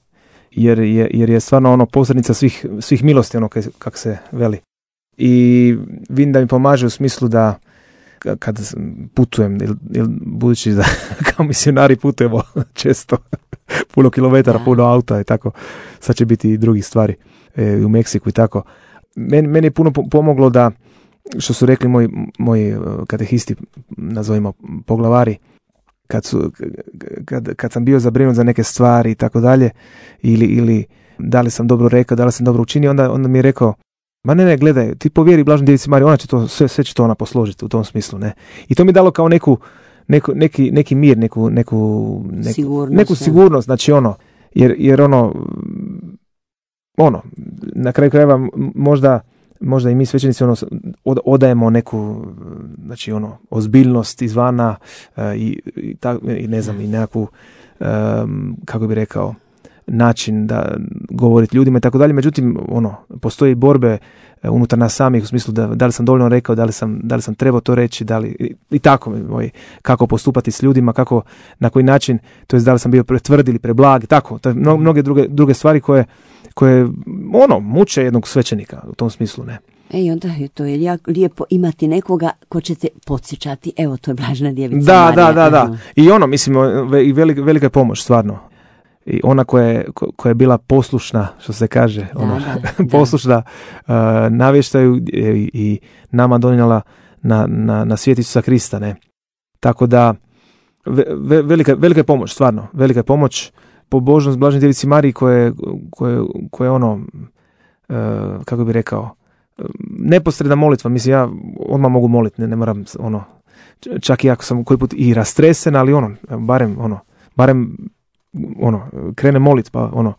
Jer je, jer je stvarno ono posrednica svih, svih milosti, ono kako se veli. I vidim da mi pomaže u smislu da kad putujem, il, il, budući da kao misionari putujemo često, puno kilometara, puno auta i tako, sad će biti i drugih stvari e, u Meksiku i tako. Meni, meni je puno pomoglo da, što su rekli moji, moji katehisti, nazovimo poglavari, kad, su, kad, kad sam bio zabrinut za neke stvari i tako dalje, ili, ili da li sam dobro rekao, da li sam dobro učinio, onda, onda mi je rekao, ma ne, ne, gledaj, ti povjeri Blaženoj Djevici Mariji, ona će to, sve, sve će to ona posložiti u tom smislu, ne. I to mi je dalo kao neku, neku, neki, neki mir, neku, neku, neku, Sigurnost, neku sigurnost, znači ono, jer, jer ono, ono, na kraju krajeva možda, možda i mi svećenici ono, od, odajemo neku, znači ono, ozbiljnost izvana uh, i, i, ta, i ne znam, i nekakvu, um, kako bi rekao, način da govoriti ljudima i tako dalje. Međutim, ono, postoji borbe unutar nas samih u smislu da, da li sam dovoljno rekao, da li sam, da li sam trebao to reći, da li, i, i tako, moj, kako postupati s ljudima, kako, na koji način, to je da li sam bio pretvrd ili preblag, tako, to je mnoge druge, druge stvari koje, koje, ono, muče jednog svećenika u tom smislu, ne. E, i onda je to je jako lijepo imati nekoga ko će te podsjećati, evo to je Blažena djevica Da, Marija. da, da, da. I ono, mislim, i velika, velika je pomoć, stvarno. I ona koja je, koja je bila poslušna, što se kaže, Da, ona, da, poslušna uh, navještaju i, i nama donijela na, na, na svijet Isusa Krista, ne. Tako da, ve, velika, velika je pomoć, stvarno, velika je pomoć, pobožnost Blaženoj djevici Mariji koje, koje, koje ono, uh, kako bi rekao, neposredna molitva, mislim, ja odmah mogu moliti, ne, ne moram, ono, čak i ako sam koji put i rastresen, ali ono, barem, ono, barem, ono, krene molit, pa ono,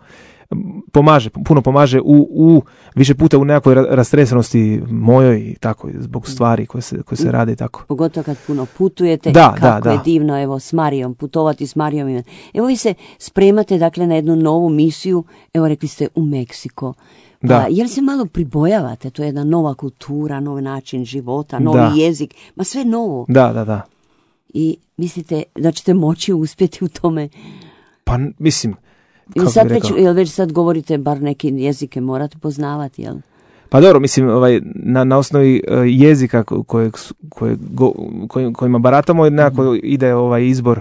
pomaže, puno pomaže u, u više puta u nekakvoj rastresenosti mojoj i tako, zbog stvari koje se, koje se rade i tako. Pogotovo kad puno putujete, da, kako da, je da. divno, evo, s Marijom, putovati s Marijom. Evo vi se spremate, dakle, na jednu novu misiju, evo, rekli ste, u Meksiko. Pa, Da. jel se malo pribojavate? To je jedna nova kultura, novi način života, novi Da. jezik, ma sve novo. Da, da, da. I mislite da ćete moći uspjeti u tome? Pa, mislim, Ili kako sad bi već, rekao? jel već sad govorite, bar neke jezike morate poznavati, jel? Pa dobro, mislim, ovaj, na, na osnovi uh, jezika kojeg, su- kojeg go, koj, kojima baratamo, nekako Mhm. ide ovaj izbor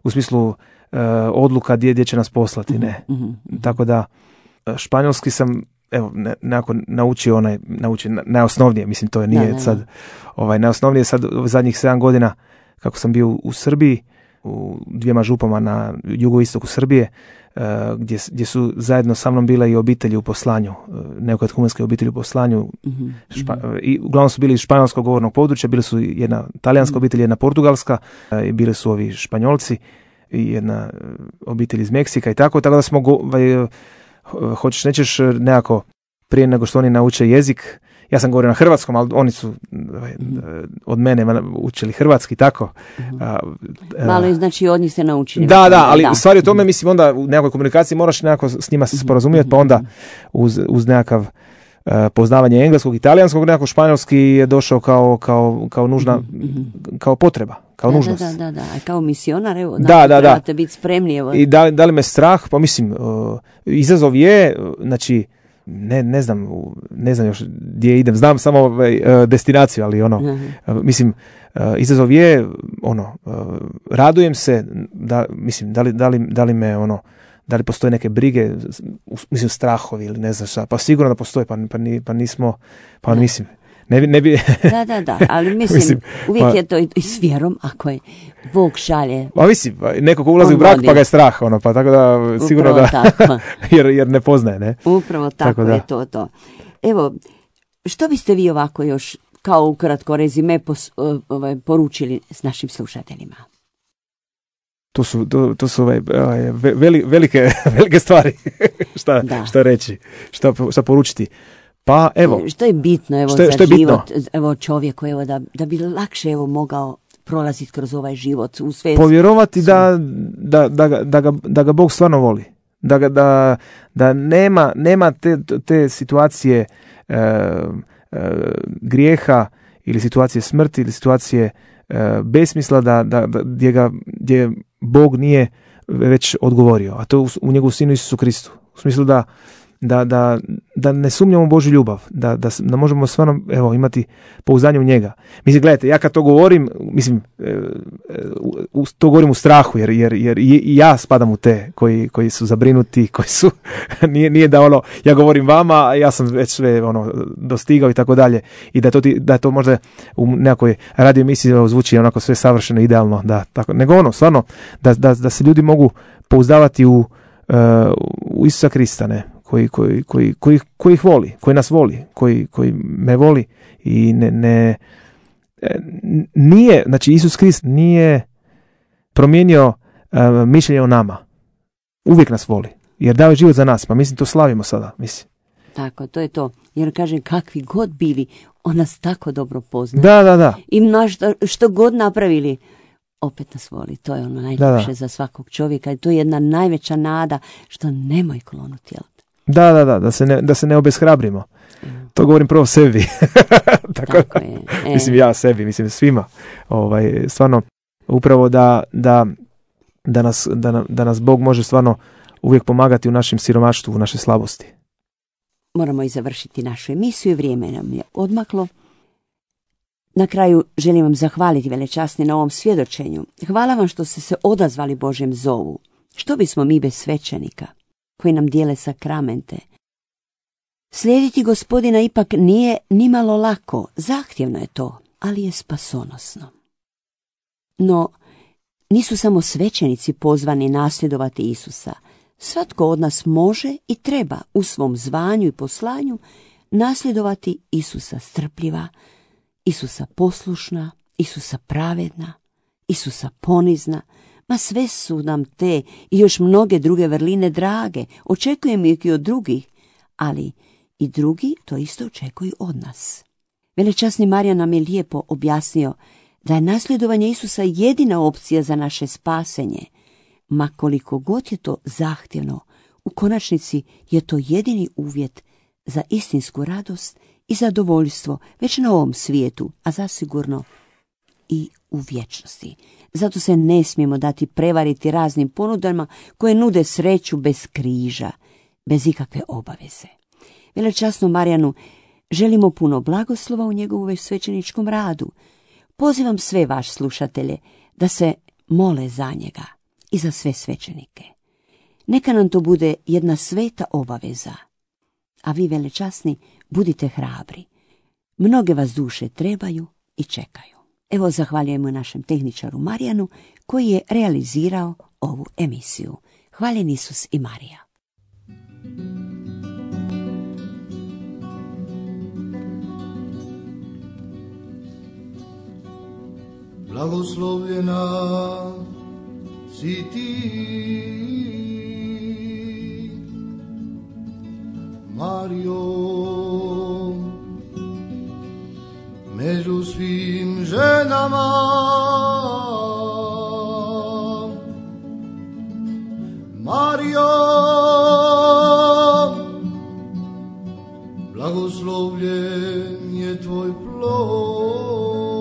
u smislu uh, odluka gdje, gdje će nas poslati, ne. Mhm. Tako da, uh, španjolski sam, evo, ne, nekako naučio onaj, naučio na- najosnovnije, mislim, to je nije Da, da, da. sad, ovaj, najosnovnije sad u zadnjih sedam godina, kako sam bio u, u Srbiji, u dvijema župama na jugoistoku Srbije, uh, gdje, s- gdje su zajedno sa mnom bile i obitelji u poslanju, uh, neokatehumenske obitelji u poslanju, Mhm. Špa, i uglavnom su bili iz španjolskog govornog područja, bili su jedna talijanska obitelj, jedna portugalska, e, i bili su ovi Španjolci i jedna e, obitelj iz Meksika i tako, tako da smo, go, ovaj, e, hoćeš nećeš e, nekako prije nego što oni nauče jezik, ja sam govorio na hrvatskom, ali oni su ovaj, e, od mene učili hrvatski, tako. A, e, Malo je, znači, od njih se naučili. da, već da, onda, ali u stvari o tome, mislim, onda u nekakvoj komunikaciji moraš nekako s njima se sporazumjeti, pa onda uz, uz nekakav uh, poznavanje engleskog i talijanskog, nekako španjolski je došao kao, kao, kao nužna, kao potreba, kao Da, nužnost. Da, da, da, da. A kao misionar, evo, Da, znači, da, da. trebate biti spremni, evo. I da, da li me strah? Pa mislim, uh, izazov je, uh, znači, ne, ne znam, u- ne znam još gdje idem, znam samo ovaj, uh, destinaciju, ali ono, Aha. uh, mislim, uh, izazov je, ono, uh, radujem se, da, mislim, da li, da li, da li me, ono, da li postoje neke brige, u- mislim, strahovi ili ne znam šta, pa sigurno da postoje, pa, pa, ni, pa nismo, pa mislim, ne bi, ne bi, Da, da, da, ali mislim, Mislim, uvijek pa- je to i, i s vjerom, ako je Bog šalje. pa mislim, neko ko ulazi On u brak vodi. pa ga je strah, ono, pa tako da, sigurno Upravo da, tako. jer, jer ne poznaje, ne? Upravo tako, Tako da. je to to. Evo, što biste vi ovako još, kao ukratko rezime, pos, o- ovaj, poručili s našim slušateljima? To su, to, to su ovaj, ovaj, ve- veli- velike, velike stvari, šta, Da. šta reći, šta, šta poručiti. Pa evo, Što je bitno, evo, Što je- za što je bitno? život, evo, čovjeku, evo, da, da bi lakše, evo, mogao prolaziti kroz ovaj život u sve. povjerovati da, da, da, ga, da, ga, da ga Bog stvarno voli. Da, ga, da, da nema, nema te, te situacije e, e, grijeha ili situacije smrti ili situacije e, besmisla da, da, da, gdje, ga, gdje Bog nije već odgovorio. A to je u, u njegovu sinu Isusu Kristu. U smislu da, da, da, da ne sumnjamo u Božju ljubav, da, da, s- da možemo stvarno, evo, imati pouzdanje u njega. Mislim, gledajte, ja kad to govorim, mislim, e, e, u- u- to govorim u strahu, jer, jer, jer i i ja spadam u te koji, koji su zabrinuti, koji su, nije, nije da ono, ja govorim vama, a ja sam već sve ono, dostigao i tako dalje, i da to, ti, da to možda u nekoj radio emisiji evo, zvuči onako sve savršeno, idealno, da, tako, nego ono, stvarno, da, da, da se ljudi mogu pouzdavati u, e, u Isusa Krista, ne, koji, koji, koji, koji, koji ih voli, koji nas voli, koji, koji me voli i ne, ne e, nije, znači Isus Krist nije promijenio e, mišljenje o nama. Uvijek nas voli, jer dao je život za nas, pa mislim to slavimo sada, mislim. Tako, to je to. Jer kažem, kakvi god bili, on nas tako dobro pozna. Da, da, da. I na što, što god napravili, opet nas voli. To je ono najljepše Da, da. za svakog čovjeka. I to je jedna najveća nada što nemoj klonuti. Jel? Da, da, da, da se ne, da se ne obeshrabrimo. To govorim prvo sebi. Tako, Tako je. E. Mislim ja sebi, mislim svima. Ovaj, stvarno, upravo da, da, da, nas, da, nam- da nas Bog može stvarno uvijek pomagati u našem siromaštvu, u našoj slabosti. moramo i završiti našu emisiju i vrijeme nam je odmaklo. Na kraju želim vam zahvaliti, velečasni, na ovom svjedočenju. Hvala vam što ste se odazvali Božjem zovu. Što bismo mi bez svećenika koji nam dijele sakramente? Slijediti Gospodina ipak nije nimalo lako, zahtjevno je to, ali je spasonosno. No, nisu samo svećenici pozvani nasljedovati Isusa. Svatko od nas može i treba u svom zvanju i poslanju nasljedovati Isusa strpljiva, Isusa poslušna, Isusa pravedna, Isusa ponizna. Ma sve su nam te i još mnoge druge vrline drage, očekujemo ih i od drugih, ali i drugi to isto očekuju od nas. Velečasni Marijan nam je lijepo objasnio da je nasljedovanje Isusa jedina opcija za naše spasenje, ma koliko god je to zahtjevno, u konačnici je to jedini uvjet za istinsku radost i zadovoljstvo već na ovom svijetu, a zasigurno i u vječnosti. Zato se ne smijemo dati prevariti raznim ponudama koje nude sreću bez križa, bez ikakve obaveze. Velečasnom Marijanu želimo puno blagoslova u njegovom svećeničkom radu. Pozivam sve vaš slušatelje da se mole za njega i za sve svećenike. Neka nam to bude jedna sveta obaveza. A vi, velečasni, budite hrabri. Mnoge vas duše trebaju i čekaju. Evo, zahvaljujemo našem tehničaru Marijanu koji je realizirao ovu emisiju. Hvaljen Isus i Marija. Blagoslovljena si ti, Marijo, među svim ženama. Marijo, blagoslovljen je tvoj plod.